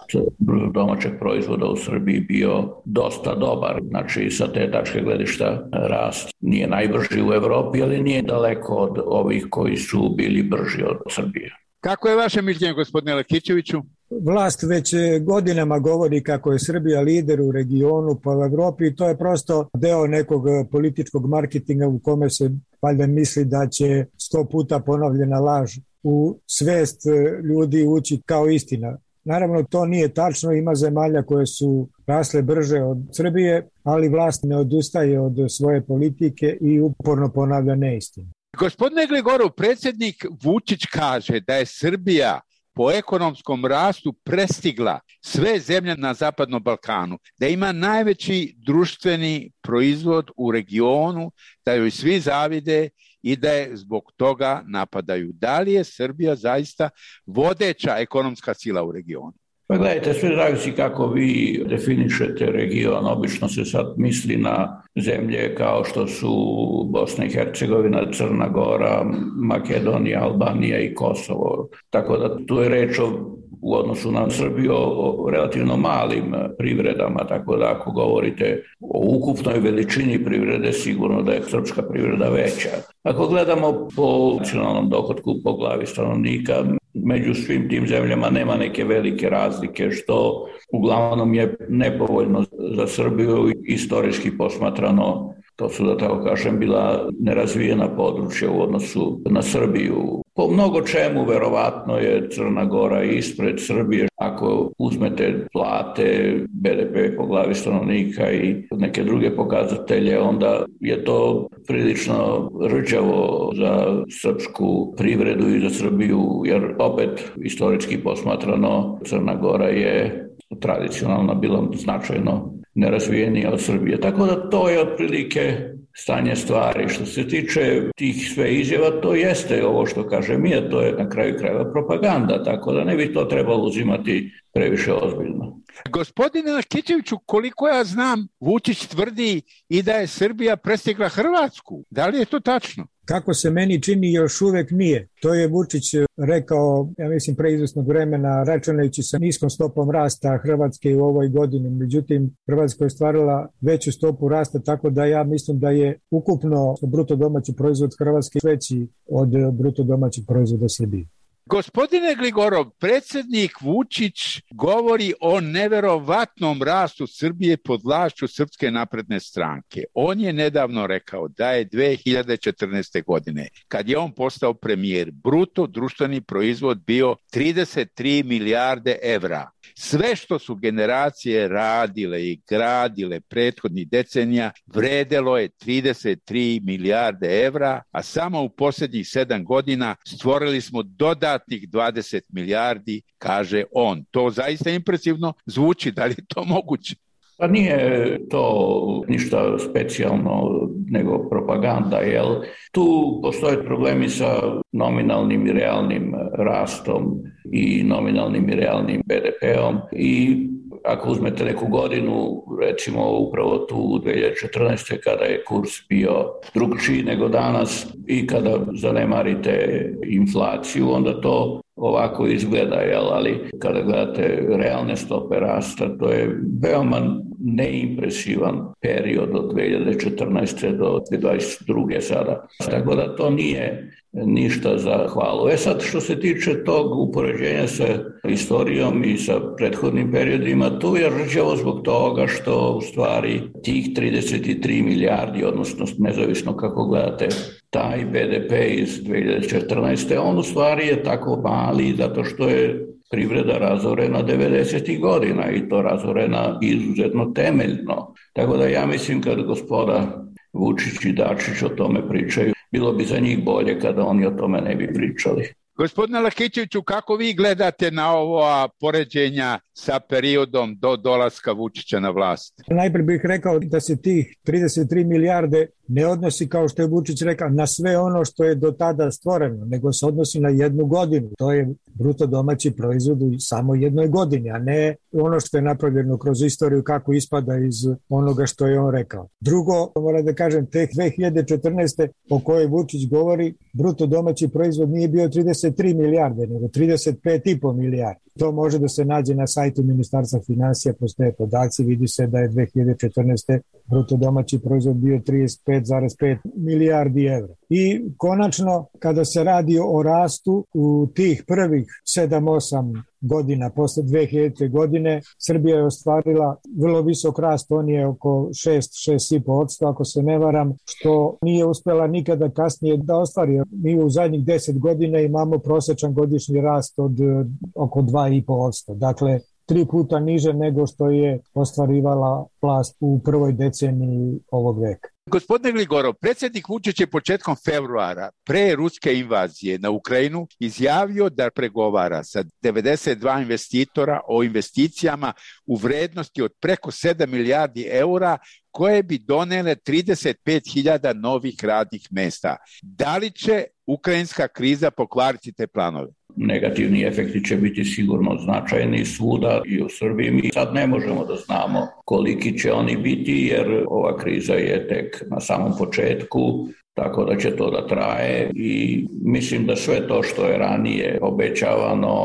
[SPEAKER 9] domaćeg proizvoda u Srbiji bio dosta dobar. Znači, sa te tačke gledišta rast nije najbrži u Evropi, ali nije daleko od ovih koji su bili brži od Srbije.
[SPEAKER 8] Kako je vaše mišljenje, gospodine Lakićeviću?
[SPEAKER 25] Vlast već godinama govori kako je Srbija lider u regionu pa u Evropi i to je prosto deo nekog političkog marketinga u kome se valjda misli da će 100 puta ponovljena laž u svest ljudi ući kao istina. Naravno, to nije tačno, ima zemalja koje su rasle brže od Srbije, ali vlast ne odustaje od svoje politike i uporno ponavlja neistinu.
[SPEAKER 8] Gospodine Gligorov, predsjednik Vučić kaže da je Srbija po ekonomskom rastu prestigla sve zemlje na Zapadnom Balkanu, da ima najveći društveni proizvod u regionu, da joj svi zavide i da je zbog toga napadaju. Da li je Srbija zaista vodeća ekonomska sila u regionu?
[SPEAKER 9] Pa gledajte, sve zavisi kako vi definišete region. Obično se sad misli na zemlje kao što su Bosna i Hercegovina, Crna Gora, Makedonija, Albanija i Kosovo. Tako da tu je reč u odnosu na Srbiju o relativno malim privredama, tako da ako govorite o ukupnoj veličini privrede, sigurno da je srpska privreda veća. Ako gledamo po nacionalnom dohotku po glavi stanovnika, među svim tim zemljama nema neke velike razlike, što uglavnom je nepovoljno za Srbiju. Istorijski posmatrano To su, da tako kažem, bila nerazvijena područja u odnosu na Srbiju. Po mnogo čemu, verovatno je Crna Gora ispred Srbije. Ako uzmete plate, BDP po glavi stanovnika i neke druge pokazatelje, onda je to prilično rđavo za srpsku privredu i za Srbiju, jer opet, historički posmatrano, Crna Gora je tradicionalno bila značajno nerazvijenija od Srbije. Tako da to je otprilike stanje stvari. Što se tiče tih sve izjava, to jeste ovo što kaže mi, a to je na kraju krajeva propaganda, tako da ne bi to trebalo uzimati previše ozbiljno.
[SPEAKER 8] Gospodine Lakićeviću, koliko ja znam, Vučić tvrdi i da je Srbija prestigla Hrvatsku. Da li je to tačno?
[SPEAKER 25] Kako se meni čini, još uvek nije. To je Vučić rekao, ja mislim, pre izvesnog vremena, računajući sa niskom stopom rasta Hrvatske u ovoj godini. Međutim, Hrvatska je ostvarila veću stopu rasta, tako da ja mislim da je ukupno bruto domaći proizvod Hrvatske veći od bruto domaćeg proizvoda Srbije.
[SPEAKER 8] Gospodine Gligorov, predsjednik Vučić govori o neverovatnom rastu Srbije pod vlašću Srpske napredne stranke. On je nedavno rekao da je 2014. godine, kad je on postao premijer, bruto društveni proizvod bio 33 milijarde evra. Sve što su generacije radile i gradile prethodnih decenija vredelo je 33 milijarde evra, a samo u posljednjih 7 godina stvorili smo dodatnih 20 milijardi, kaže on. To zaista impresivno zvuči, da li je to moguće?
[SPEAKER 9] Pa nije to ništa specijalno nego propaganda, jel? Tu postoje problemi sa nominalnim i realnim rastom i nominalnim i realnim BDP-om i ako uzmete neku godinu, recimo upravo tu u 2014. kada je kurs bio drugčiji nego danas i kada zanemarite inflaciju, onda to ovako izgleda, jel? Ali kada gledate realne stope rasta, to je veoma neimpresivan period od 2014. do 2022. sada. Tako da to nije ništa za hvalu. Sad, što se tiče tog upoređenja sa istorijom i sa prethodnim periodima, tu je rđavo zbog toga što u stvari tih 33 milijardi, odnosno nezavisno kako gledate taj BDP iz 2014. on u stvari je tako mali zato što je privreda razorena 90. godina i to razorena izuzetno temeljno. Tako da ja mislim kad gospoda Vučić i Dačić o tome pričaju, bilo bi za njih bolje kada oni o tome ne bi pričali.
[SPEAKER 8] Gospodine Lakićeviću, kako vi gledate na ova poređenja sa periodom do dolaska Vučića na vlast?
[SPEAKER 25] Najprije bih rekao da se tih 33 milijarde ne odnosi, kao što je Vučić rekao, na sve ono što je do tada stvoreno, nego se odnosi na jednu godinu. To je bruto domaći proizvod u samo jednoj godini, a ne ono što je napravljeno kroz istoriju kako ispada iz onoga što je on rekao. Drugo, moram da kažem, te 2014. o kojoj Vučić govori, bruto domaći proizvod nije bio 33 milijarde, nego 35,5 milijardi. To može da se nađe na sajtu Ministarstva finansija, postoje podaci, vidi se da je 2014. bruto domaći proizvod bio 35,5 milijardi evra. I konačno, kada se radi o rastu u tih prvih 7-8 godina, posle 2000. godine, Srbija je ostvarila vrlo visok rast, on je oko 6,5%, ako se ne varam, što nije uspela nikada kasnije da ostvari. Mi u zadnjih 10 godina imamo prosječan godišnji rast od oko 2,5%. Dakle, 3 puta niže nego što je ostvarivala vlast u prvoj deceniji ovog veka.
[SPEAKER 8] Gospodine Gligorov, predsjednik Vučić je početkom februara pre ruske invazije na Ukrajinu izjavio da pregovara sa 92 investitora o investicijama u vrednosti od preko 7 milijardi eura koje bi donele 35.000 novih radnih mesta. Da li će ukrajinska kriza pokvariti te planove?
[SPEAKER 9] Negativni efekti će biti sigurno značajni svuda i u Srbiji. Mi sad ne možemo da znamo koliki će oni biti jer ova kriza je tek na samom početku, tako da će to da traje i mislim da sve to što je ranije obećavano,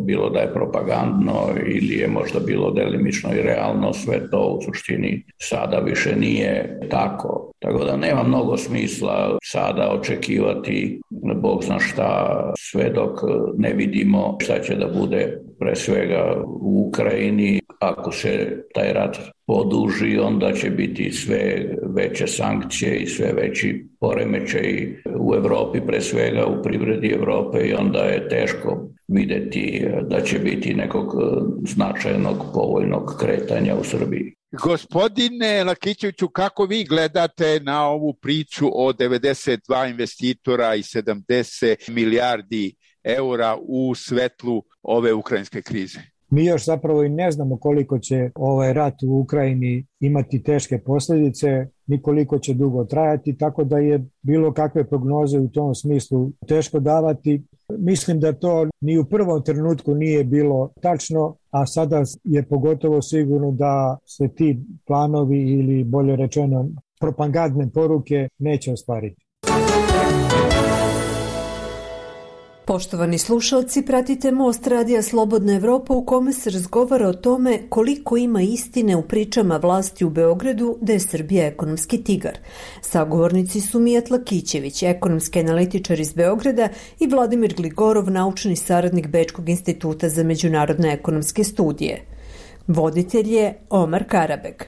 [SPEAKER 9] bilo da je propagandno ili je možda bilo delimično i realno, sve to u suštini sada više nije tako. Tako da nema mnogo smisla sada očekivati Bog zna šta sve dok ne vidimo šta će da bude pre svega u Ukrajini ako se taj rat oduži, onda će biti sve veće sankcije i sve veći poremećaj u Evropi, pre svega u privredi Evrope, i onda je teško videti da će biti nekog značajnog povoljnog kretanja u Srbiji.
[SPEAKER 8] Gospodine Lakićeviću, kako vi gledate na ovu priču o 92 investitora i 70 milijardi eura u svetlu ove ukrajinske krize?
[SPEAKER 25] Mi još zapravo i ne znamo koliko će ovaj rat u Ukrajini imati teške posljedice, ni koliko će dugo trajati, tako da je bilo kakve prognoze u tom smislu teško davati. Mislim da to ni u prvom trenutku nije bilo tačno, a sada je pogotovo sigurno da se ti planovi ili bolje rečeno propagandne poruke neće ostvariti.
[SPEAKER 2] Poštovani slušalci, pratite Most Radija Slobodna Evropa u kome se razgovara o tome koliko ima istine u pričama vlasti u Beogradu da je Srbija ekonomski tigar. Sagovornici su Mijat Lakićević, ekonomski analitičar iz Beograda, i Vladimir Gligorov, naučni saradnik Bečkog instituta za međunarodne ekonomske studije. Voditelj je Omar Karabeg.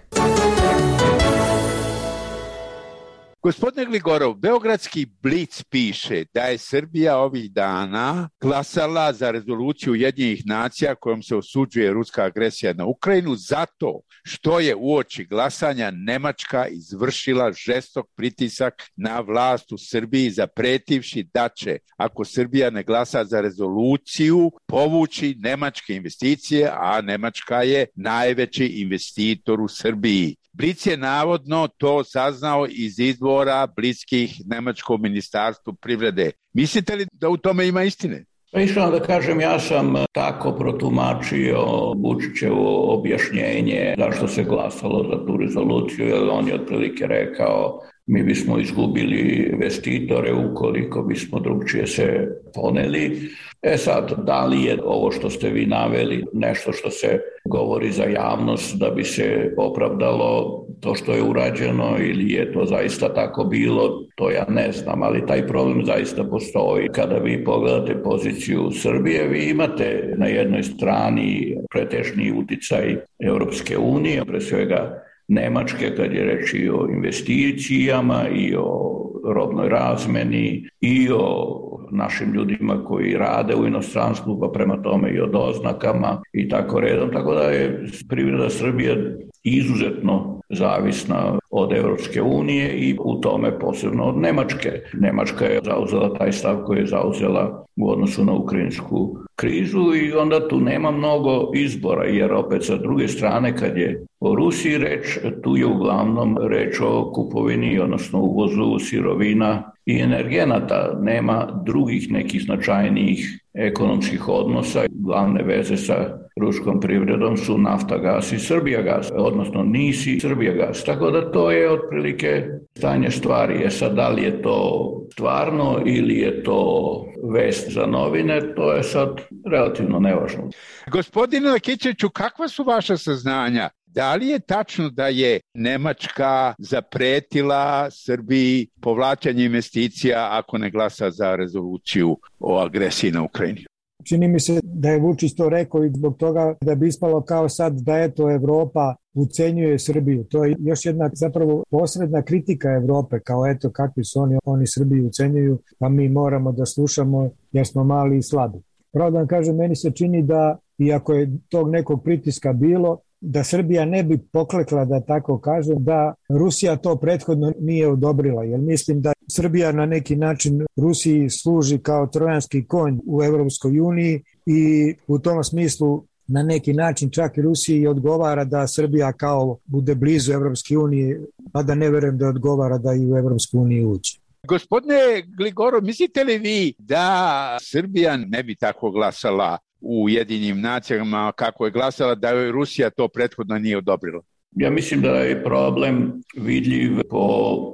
[SPEAKER 8] Gospodine Gligorov, Beogradski Blic piše da je Srbija ovih dana glasala za rezoluciju Ujedinjenih nacija kojom se osuđuje ruska agresija na Ukrajinu zato što je uoči glasanja Nemačka izvršila žestok pritisak na vlast u Srbiji zapretivši da će, ako Srbija ne glasa za rezoluciju, povući nemačke investicije, a Nemačka je najveći investitor u Srbiji. Blic je navodno to saznao iz izvora bliskih nemačkom ministarstvu privrede. Mislite li da u tome ima istine?
[SPEAKER 9] Iskreno da kažem, ja sam tako protumačio Vučićevo objašnjenje zašto se glasalo za tu rezoluciju, jer on je otprilike rekao mi bismo izgubili investitore ukoliko bismo drugčije se poneli. Sad, da li je ovo što ste vi naveli nešto što se govori za javnost da bi se opravdalo to što je urađeno ili je to zaista tako bilo, to ja ne znam, ali taj problem zaista postoji. Kada vi pogledate poziciju Srbije, vi imate na jednoj strani pretežni uticaj Europske unije, pre svega Nemačke, kad je reč i o investicijama i o robnoj razmeni i o našim ljudima koji rade u inostranstvu, pa prema tome i o doznakama i tako redom. Tako da je privreda Srbije izuzetno zavisna od Evropske unije i u tome posebno od Nemačke. Nemačka je zauzela taj stav koji je zauzela u odnosu na ukrajinsku krizu i onda tu nema mnogo izbora, jer opet sa druge strane kad je o Rusiji reč, tu je uglavnom reč o kupovini, odnosno uvozu sirovina i energenata. Nema drugih nekih značajnijih ekonomskih odnosa. Glavne veze sa ruskom privredom su Naftagas i Srbijagas, odnosno NIS i Srbijagas. Tako da to je otprilike stanje stvari. Sad, da li je to stvarno ili je to vest za novine, to je sad relativno nevažno.
[SPEAKER 8] Gospodine Lakićeviću, kakva su vaša saznanja? Da li je tačno da je Nemačka zapretila Srbiji povlačenje investicija ako ne glasa za rezoluciju o agresiji na Ukrajini?
[SPEAKER 25] Čini mi se da je Vučić to rekao i zbog toga da bi ispalo kao sad da eto Evropa ucenjuje Srbiju. To je još jedna zapravo posredna kritika Evrope, kao eto kakvi su oni Srbiju ucenjuju, pa mi moramo da slušamo jer smo mali i slabi. Pravo da vam kažem, meni se čini da, iako je tog nekog pritiska bilo, da Srbija ne bi poklekla, da tako kažem, da Rusija to prethodno nije odobrila, jer mislim da Srbija na neki način Rusiji služi kao trojanski konj u Evropskoj uniji i u tom smislu na neki način čak i Rusiji odgovara da Srbija kao bude blizu Evropske unije, a da ne verujem da odgovara da i u Evropsku uniju uđe.
[SPEAKER 8] Gospodine Gligorov, mislite li vi da Srbija ne bi tako glasala u Ujedinjenim nacijama kako je glasala da joj Rusija to prethodno nije odobrila?
[SPEAKER 9] Ja mislim da je problem vidljiv po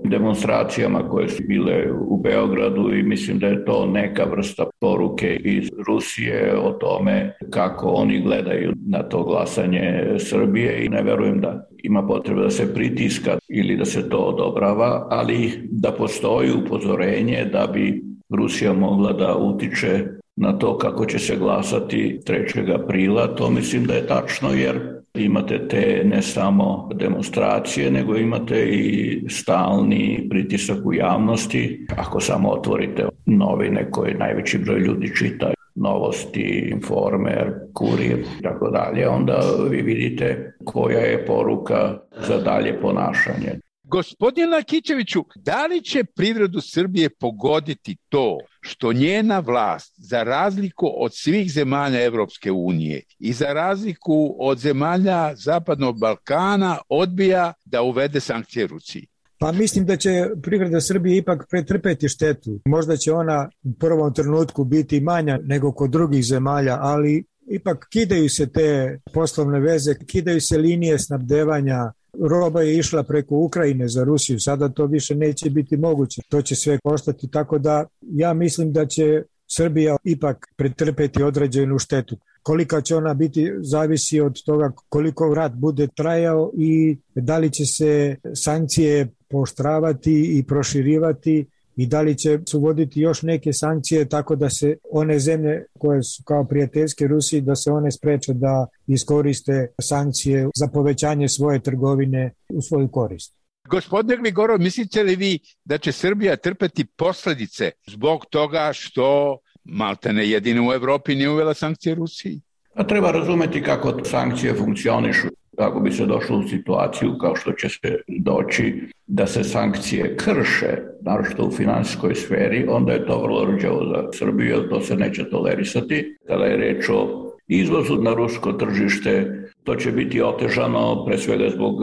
[SPEAKER 9] demonstracijama koje su bile u Beogradu i mislim da je to neka vrsta poruke iz Rusije o tome kako oni gledaju na to glasanje Srbije i ne verujem da ima potreba da se pritiska ili da se to odobrava, ali da postoji upozorenje da bi Rusija mogla da utiče na to kako će se glasati 3. aprila, to mislim da je tačno jer imate te ne samo demonstracije, nego imate i stalni pritisak u javnosti. Ako samo otvorite novine koje najveći broj ljudi čita, Novosti, Informer, Kurir i tako dalje, onda vi vidite koja je poruka za dalje ponašanje.
[SPEAKER 8] Gospodine Lakićeviću, da li će privredu Srbije pogoditi to što njena vlast, za razliku od svih zemalja Evropske unije i za razliku od zemalja Zapadnog Balkana, odbija da uvede sankcije Rusiji?
[SPEAKER 25] Pa mislim da će privreda Srbije ipak pretrpeti štetu. Možda će ona u prvom trenutku biti manja nego kod drugih zemalja, ali ipak kidaju se te poslovne veze, kidaju se linije snabdevanja. Roba je išla preko Ukrajine za Rusiju, sada to više neće biti moguće. To će sve koštati, tako da ja mislim da će Srbija ipak pretrpeti određenu štetu. Kolika će ona biti, zavisi od toga koliko rat bude trajao i da li će se sankcije pooštravati i proširivati i da li će se uvoditi još neke sankcije tako da se one zemlje koje su kao prijateljske Rusiji, da se one spreče da iskoriste sankcije za povećanje svoje trgovine u svoju korist.
[SPEAKER 8] Gospodine Gligorov, mislite li vi da će Srbija trpeti posljedice zbog toga što maltene jedino u Evropi nije uvela sankcije Rusiji?
[SPEAKER 9] A treba razumeti kako sankcije funkcionišu. Ako bi se došlo u situaciju kao što će se doći da se sankcije krše, naročito u finansijskoj sferi, onda je to vrlo rđavo za Srbiju, jer to se neće tolerisati. Kada je reč o izvozu na rusko tržište, to će biti otežano pre svega zbog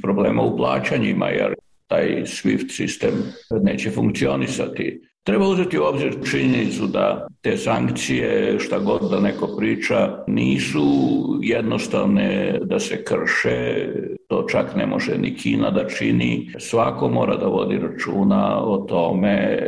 [SPEAKER 9] problema u plaćanjima, jer taj SWIFT sistem neće funkcionisati. Treba uzeti u obzir činjenicu da te sankcije, šta god da neko priča, nisu jednostavne da se krše, to čak ne može ni Kina da čini. Svako mora da vodi računa o tome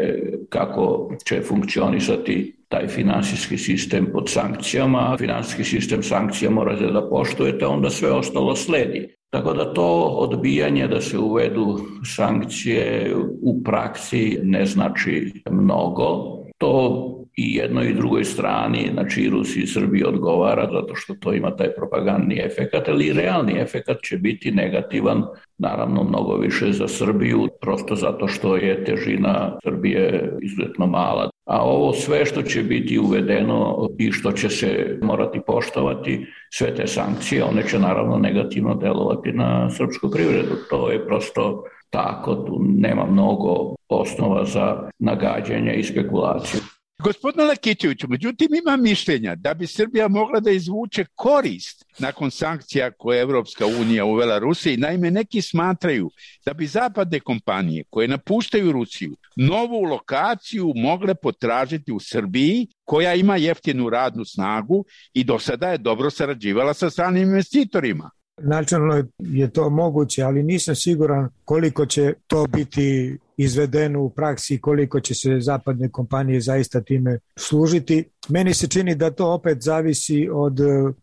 [SPEAKER 9] kako će funkcionisati taj finansijski sistem pod sankcijama. Finansijski sistem sankcija morate da poštujete, onda sve ostalo sledi. Tako da to odbijanje da se uvedu sankcije u praksi ne znači mnogo. To i jednoj i drugoj strani, znači i Rusiji i Srbiji odgovara zato što to ima taj propagandni efekat, ali i realni efekat će biti negativan, naravno mnogo više za Srbiju, prosto zato što je težina Srbije izuzetno mala. A ovo sve što će biti uvedeno i što će se morati poštovati, sve te sankcije, one će naravno negativno delovati na srpsku privredu. To je prosto tako, tu nema mnogo osnova za nagađanje i spekulaciju.
[SPEAKER 8] Gospodine Lakićeviću, međutim ima mišljenja da bi Srbija mogla da izvuče korist nakon sankcija koje je Evropska unija uvela Rusiji. Naime, neki smatraju da bi zapadne kompanije koje napuštaju Rusiju novu lokaciju mogle potražiti u Srbiji, koja ima jeftinu radnu snagu i do sada je dobro sarađivala sa stranim investitorima.
[SPEAKER 25] Načelno je to moguće, ali nisam siguran koliko će to biti izvedeno u praksi, koliko će se zapadne kompanije zaista time služiti. Meni se čini da to opet zavisi od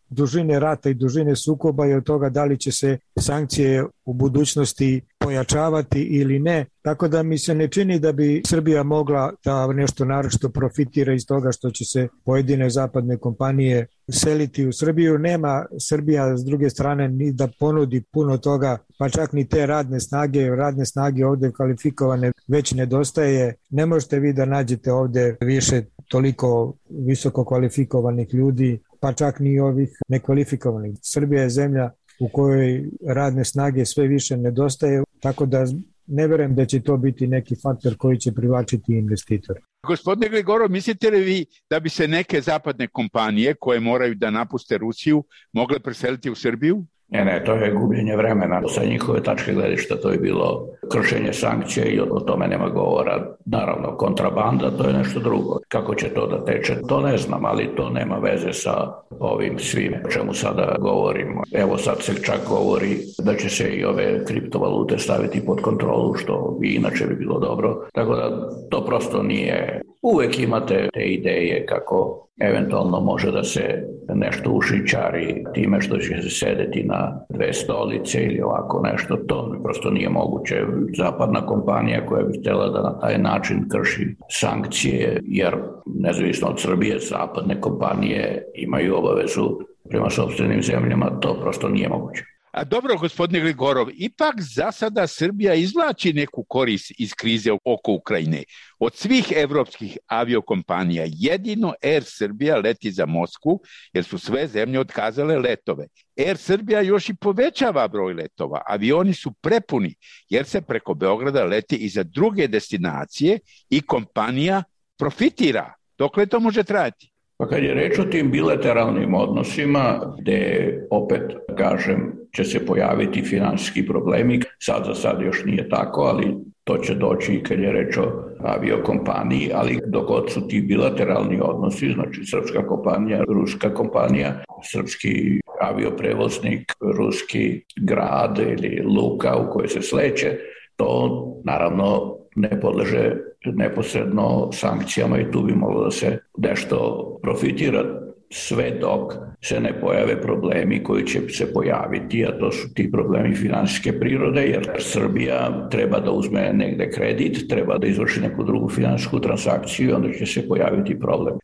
[SPEAKER 25] dužine rata i dužine sukoba i od toga da li će se sankcije u budućnosti pojačavati ili ne. Tako da mi se ne čini da bi Srbija mogla da nešto naročito profitira iz toga što će se pojedine zapadne kompanije seliti u Srbiju. Nema Srbija s druge strane ni da ponudi puno toga, pa čak ni te radne snage ovdje kvalifikovane već nedostaje. Ne možete vi da nađete ovdje više toliko visoko kvalifikovanih ljudi, pa čak ni ovih nekvalifikovanih. Srbija je zemlja u kojoj radne snage sve više nedostaje, tako da ne verujem da će to biti neki faktor koji će privlačiti investitore.
[SPEAKER 8] Gospodine Gligorov, mislite li vi da bi se neke zapadne kompanije koje moraju da napuste Rusiju mogle preseliti u Srbiju?
[SPEAKER 9] Ne, to je gubljenje vremena. Sa njihove tačke gledišta to je bilo kršenje sankcije i o tome nema govora. Naravno, kontrabanda, to je nešto drugo. Kako će to da teče, to ne znam, ali to nema veze sa ovim svim o čemu sada govorimo. Evo sad se čak govori da će se i ove kriptovalute staviti pod kontrolu, što i inače bi bilo dobro. Tako da to prosto nije. Uvek imate te ideje kako eventualno može da se nešto ušićari time što će se sedeti na dve stolice ili ovako nešto. To prosto nije moguće. Zapadna kompanija koja bi htjela da na taj način krši sankcije, jer nezavisno od Srbije, zapadne kompanije imaju obavezu prema sopstvenim zemljama, to prosto nije moguće.
[SPEAKER 8] A dobro, gospodine Gligorov, ipak za sada Srbija izvlači neku korist iz krize oko Ukrajine. Od svih evropskih aviokompanija jedino Air Srbija leti za Moskvu, jer su sve zemlje otkazale letove. Air Srbija još i povećava broj letova. Avioni su prepuni, jer se preko Beograda leti i za druge destinacije i kompanija profitira. Dokle to može trajati?
[SPEAKER 9] Pa kad je reč o tim bilateralnim odnosima, gde opet, kažem, će se pojaviti finansijski problemi, sad za sad još nije tako, ali to će doći kad je reč o aviokompaniji, ali dok god su ti bilateralni odnosi, znači srpska kompanija, ruska kompanija, srpski avioprevoznik, ruski grad ili luka u kojoj se sleće, to naravno ne podleže neposredno sankcijama i tu bi moglo da se nešto profitira sve dok se ne pojave problemi koji će se pojaviti, a to su ti problemi finansijske prirode, jer Srbija treba da uzme negde kredit, treba da izvrši neku drugu finansijsku transakciju i onda će se pojaviti problem.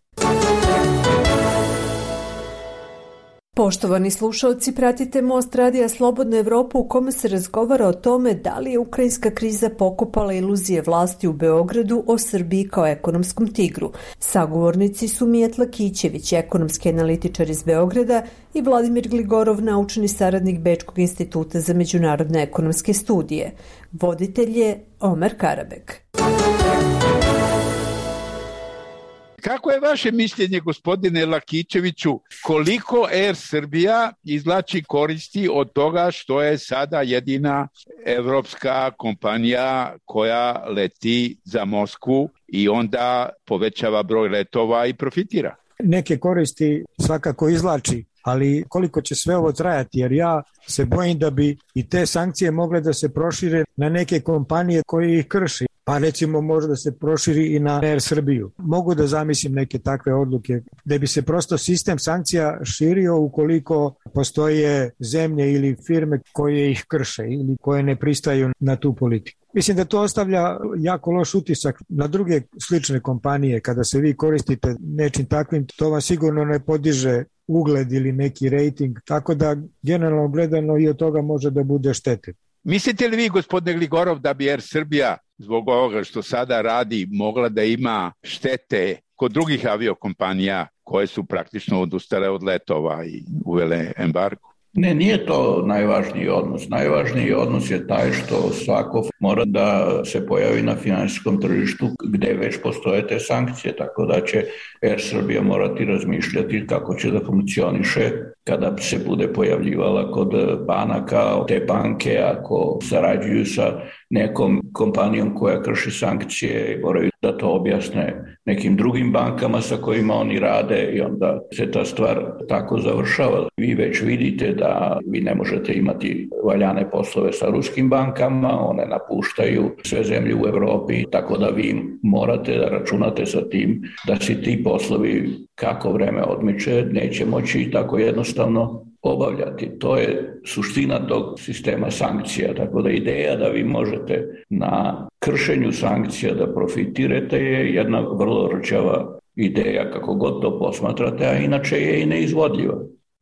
[SPEAKER 2] Poštovani slušalci, pratite Most radija Slobodna Evropa u kome se razgovara o tome da li je ukrajinska kriza pokopala iluzije vlasti u Beogradu o Srbiji kao ekonomskom tigru. Sagovornici su Mijatla Kićević, ekonomski analitičar iz Beograda, i Vladimir Gligorov, naučni saradnik Bečkog instituta za međunarodne ekonomske studije. Voditelj je Omer Karabek.
[SPEAKER 8] Kako je vaše mišljenje, gospodine Lakićeviću, koliko Air Srbija izvlači koristi od toga što je sada jedina evropska kompanija koja leti za Moskvu i onda povećava broj letova i profitira?
[SPEAKER 25] Neke koristi svakako izvlači, ali koliko će sve ovo trajati, jer ja se bojim da bi i te sankcije mogle da se prošire na neke kompanije koje ih krši. Pa recimo može da se proširi i na Air Srbiju. Mogu da zamislim neke takve odluke da bi se prosto sistem sankcija širio ukoliko postoje zemlje ili firme koje ih krše ili koje ne pristaju na tu politiku. Mislim da to ostavlja jako loš utisak na druge slične kompanije. Kada se vi koristite nečim takvim, to vam sigurno ne podiže ugled ili neki rejting, tako da generalno gledano i od toga može da bude štete.
[SPEAKER 8] Mislite li vi, gospodine Gligorov, da bi Air Srbija zbog ovoga što sada radi mogla da ima štete kod drugih aviokompanija koje su praktično odustale od letova i uvele embargo?
[SPEAKER 9] Ne, nije to najvažniji odnos. Najvažniji odnos je taj što svako mora da se pojavi na finansijskom tržištu gde već postoje te sankcije, tako da će Air Srbija morati razmišljati kako će da funkcioniše kada se bude pojavljivala kod banaka. Te banke, ako sarađuju sa nekom kompanijom koja krši sankcije, moraju da to objasne nekim drugim bankama sa kojima oni rade i onda se ta stvar tako završava. Vi već vidite da vi ne možete imati valjane poslove sa ruskim bankama, one napuštaju sve zemlje u Evropi, tako da vi morate da računate sa tim da se ti poslovi, kako vreme odmiče, neće moći tako jednostavno obavljati. To je suština tog sistema sankcija, tako da ideja da vi možete na kršenju sankcija da profitirate je jedna vrlo rčava ideja kako god to posmatrate, a inače je i neizvodljiva.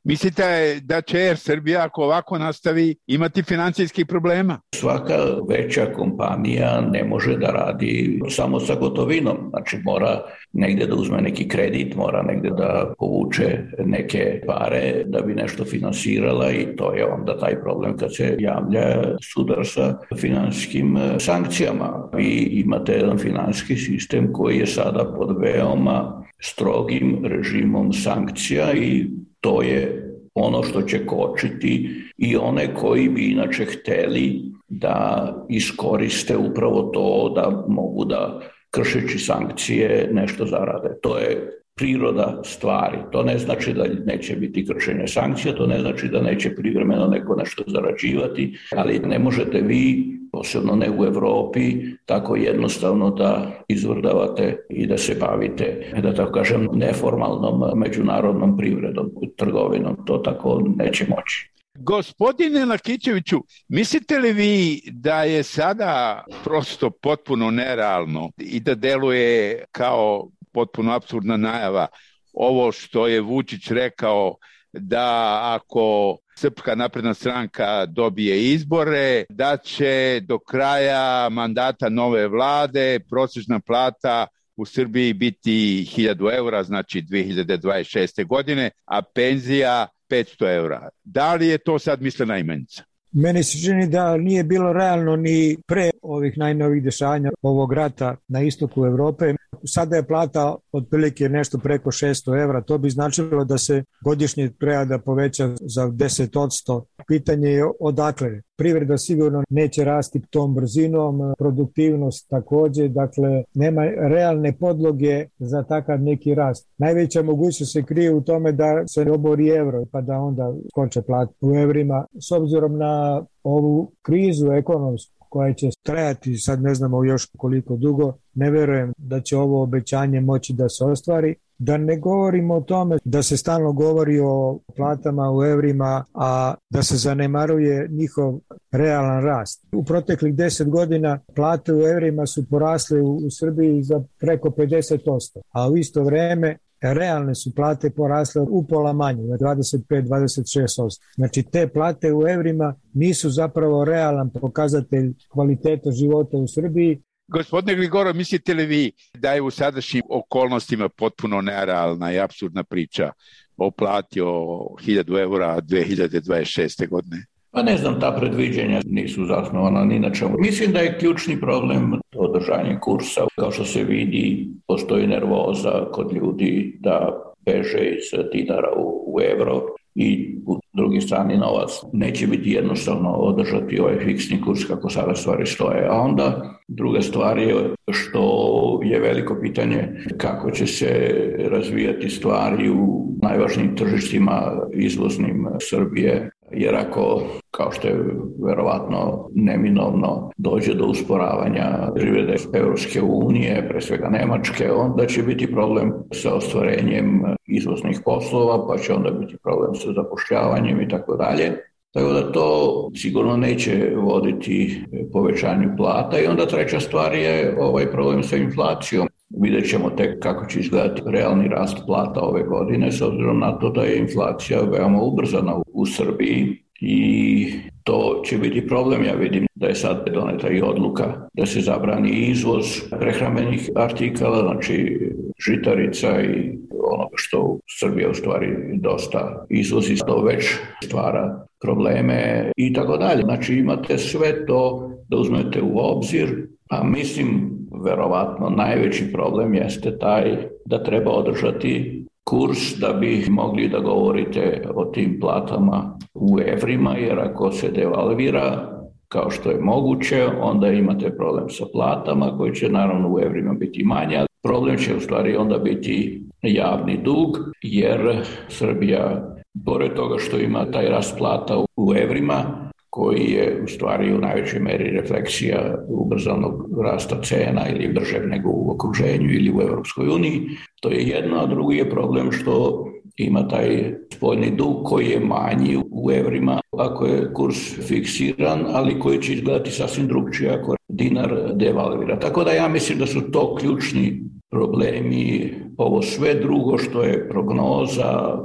[SPEAKER 8] Mislite da će Air Srbija, ako ovako nastavi, imati financijskih problema?
[SPEAKER 9] Svaka veća kompanija ne može da radi samo sa gotovinom. Znači mora negde da uzme neki kredit, mora negde da povuče neke pare da bi nešto finansirala i to je onda taj problem kad se javlja sudar sa finansijskim sankcijama. Vi imate jedan finansijski sistem koji je sada pod veoma strogim režimom sankcija i to je ono što će kočiti i one koji bi inače hteli da iskoriste upravo to da mogu da kršeći sankcije nešto zarade. To je priroda stvari. To ne znači da neće biti kršenje sankcija, to ne znači da neće privremeno neko nešto zarađivati, ali ne možete vi, posebno ne u Evropi, tako jednostavno da izvrdavate i da se bavite, da tako kažem, neformalnom međunarodnom privredom, trgovinom. To tako neće moći.
[SPEAKER 8] Gospodine Lakićeviću, mislite li vi da je sada prosto potpuno nerealno i da deluje kao potpuno apsurdna najava ovo što je Vučić rekao da ako Srpska napredna stranka dobije izbore, da će do kraja mandata nove vlade prosječna plata u Srbiji biti 1000 eura, znači 2026. godine, a penzija 500 eura. Da li je to sad mislena imenica?
[SPEAKER 25] Meni se čini da nije bilo realno ni pre ovih najnovih dešavanja ovog rata na istoku Evrope. Sada je plata otprilike nešto preko 600 evra. To bi značilo da se godišnje treba da poveća za 10%. Pitanje je odakle. Privreda sigurno neće rasti tom brzinom, produktivnost takođe, dakle nema realne podloge za takav neki rast. Najveća mogućnost se krije u tome da se obori evro pa da onda skoče plate u evrima. S obzirom na ovu krizu ekonomsku koja će trajati, sad ne znamo još koliko dugo, ne verujem da će ovo obećanje moći da se ostvari. Da ne govorimo o tome da se stalno govori o platama u evrima, a da se zanemaruje njihov realan rast. U proteklih 10 godina plate u evrima su porasle u Srbiji za preko 50%, a u isto vreme realne su plate porasle upola manje, na 25-26%. Znači te plate u evrima nisu zapravo realan pokazatelj kvaliteta života u Srbiji.
[SPEAKER 8] Gospodine Gligorov, mislite li vi da je u sadašnjim okolnostima potpuno nerealna i apsurdna priča o plati o 1000 eura 2026. godine?
[SPEAKER 9] Pa ne znam, ta predviđenja nisu zasnovana ni na čemu. Mislim da je ključni problem održanje kursa. Kao što se vidi, postoji nervoza kod ljudi da beže iz dinara u euro i u drugi strani novac. Neće biti jednostavno održati ovaj fiksni kurs kako sada stvari stoje. A onda druga stvar je što je veliko pitanje kako će se razvijati stvari u najvažnijim tržištima izvoznim Srbije. Jer ako, kao što je verovatno neminovno, dođe do usporavanja privrede Evropske unije, pre svega Nemačke, onda će biti problem sa ostvarenjem izvoznih poslova, pa će onda biti problem sa zapošljavanjem i tako dalje. Tako da to sigurno neće voditi povećanju plata. I onda treća stvar je ovaj problem sa inflacijom. Vidjet ćemo tek kako će izgledati realni rast plata ove godine, s obzirom na to da je inflacija veoma ubrzana u Srbiji i to će biti problem. Ja vidim da je sad doneta i odluka da se zabrani izvoz prehrambenih artikala, znači žitarica i onoga što Srbija u stvari dosta izvozi, to već stvara probleme i tako dalje. Znači imate sve to da uzmete u obzir, a mislim verovatno najveći problem jeste taj da treba održati kurs da bi mogli da govorite o tim platama u evrima, jer ako se devalvira kao što je moguće, onda imate problem sa platama koji će naravno u evrima biti manje, ali problem će u stvari onda biti javni dug, jer Srbija, pored toga što ima taj rast plata u evrima, koji je u stvari u najvećoj meri refleksija ubrzanog rasta cena ili bržeg nego u okruženju ili u Evropskoj uniji. To je jedno, a drugi je problem što ima taj spoljni dug koji je manji u evrima ako je kurs fiksiran, ali koji će izgledati sasvim drugčije ako dinar devalvira. Tako da ja mislim da su to ključni problemi. Ovo sve drugo što je prognoza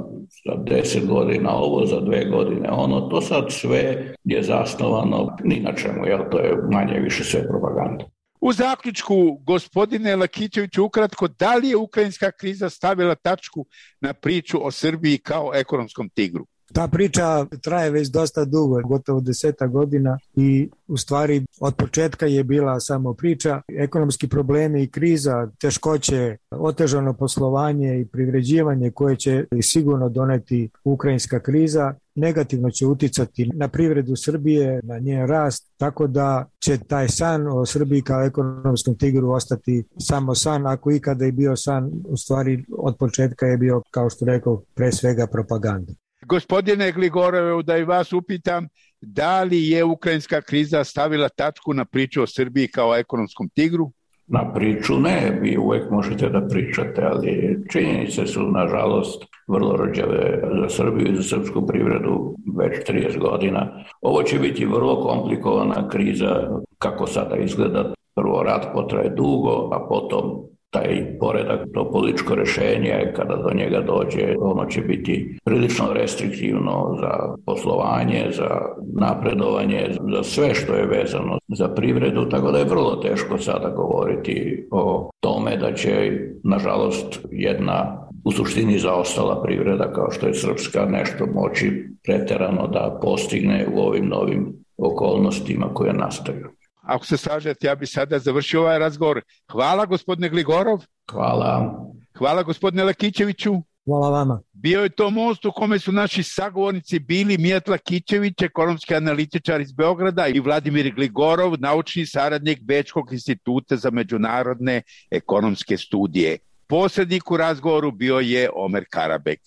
[SPEAKER 9] za 10 godina ovo, za 2 godine ono, to sad sve je zasnovano ni na čemu, jer to je manje više sve propaganda.
[SPEAKER 8] U zaključku, gospodine Lakićeviću, ukratko, da li je ukrajinska kriza stavila tačku na priču o Srbiji kao ekonomskom tigru?
[SPEAKER 25] Ta priča traje već dosta dugo, gotovo 10 godina i u stvari od početka je bila samo priča. Ekonomski problemi i kriza, teškoće, otežano poslovanje i privređivanje koje će sigurno doneti ukrajinska kriza, negativno će uticati na privredu Srbije, na njen rast, tako da će taj san o Srbiji kao ekonomskom tigru ostati samo san, ako ikada je bio san, u stvari od početka je bio, kao što rekao, pre svega propaganda.
[SPEAKER 8] Gospodine Gligorov, da i vas upitam, da li je ukrajinska kriza stavila tačku na priču o Srbiji kao ekonomskom tigru?
[SPEAKER 9] Na priču ne, vi uvek možete da pričate, ali činjenice su, nažalost, vrlo rđave za Srbiju i za srpsku privredu već 30 godina. Ovo će biti vrlo komplikovana kriza, kako sada izgleda. Prvo, rat potraje dugo, a potom taj poredak, to političko rešenje, kada do njega dođe, ono će biti prilično restriktivno za poslovanje, za napredovanje, za sve što je vezano za privredu, tako da je vrlo teško sada govoriti o tome da će, nažalost, jedna u suštini zaostala privreda kao što je srpska nešto moći preterano da postigne u ovim novim okolnostima koje nastaju.
[SPEAKER 8] Ako se slažete, ja bi sada završio ovaj razgovor. Hvala gospodine Gligorov.
[SPEAKER 9] Hvala.
[SPEAKER 8] Hvala gospodine Lakićeviću.
[SPEAKER 25] Hvala vama.
[SPEAKER 8] Bio je to most u kome su naši sagovornici bili Mijat Lakićević, ekonomski analitičar iz Beograda, i Vladimir Gligorov, naučni saradnik Bečkog instituta za međunarodne ekonomske studije. Posrednik u razgovoru bio je Omer Karabek.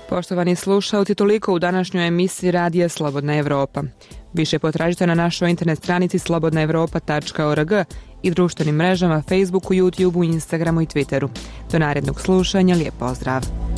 [SPEAKER 20] Poštovani slušalci, toliko u današnjoj emisiji Radija Slobodna Evropa. Više potražite na našoj internet stranici slobodnaevropa.org i društvenim mrežama Facebooku, YouTubeu, Instagramu i Twitteru. Do narednog slušanja, lijep pozdrav!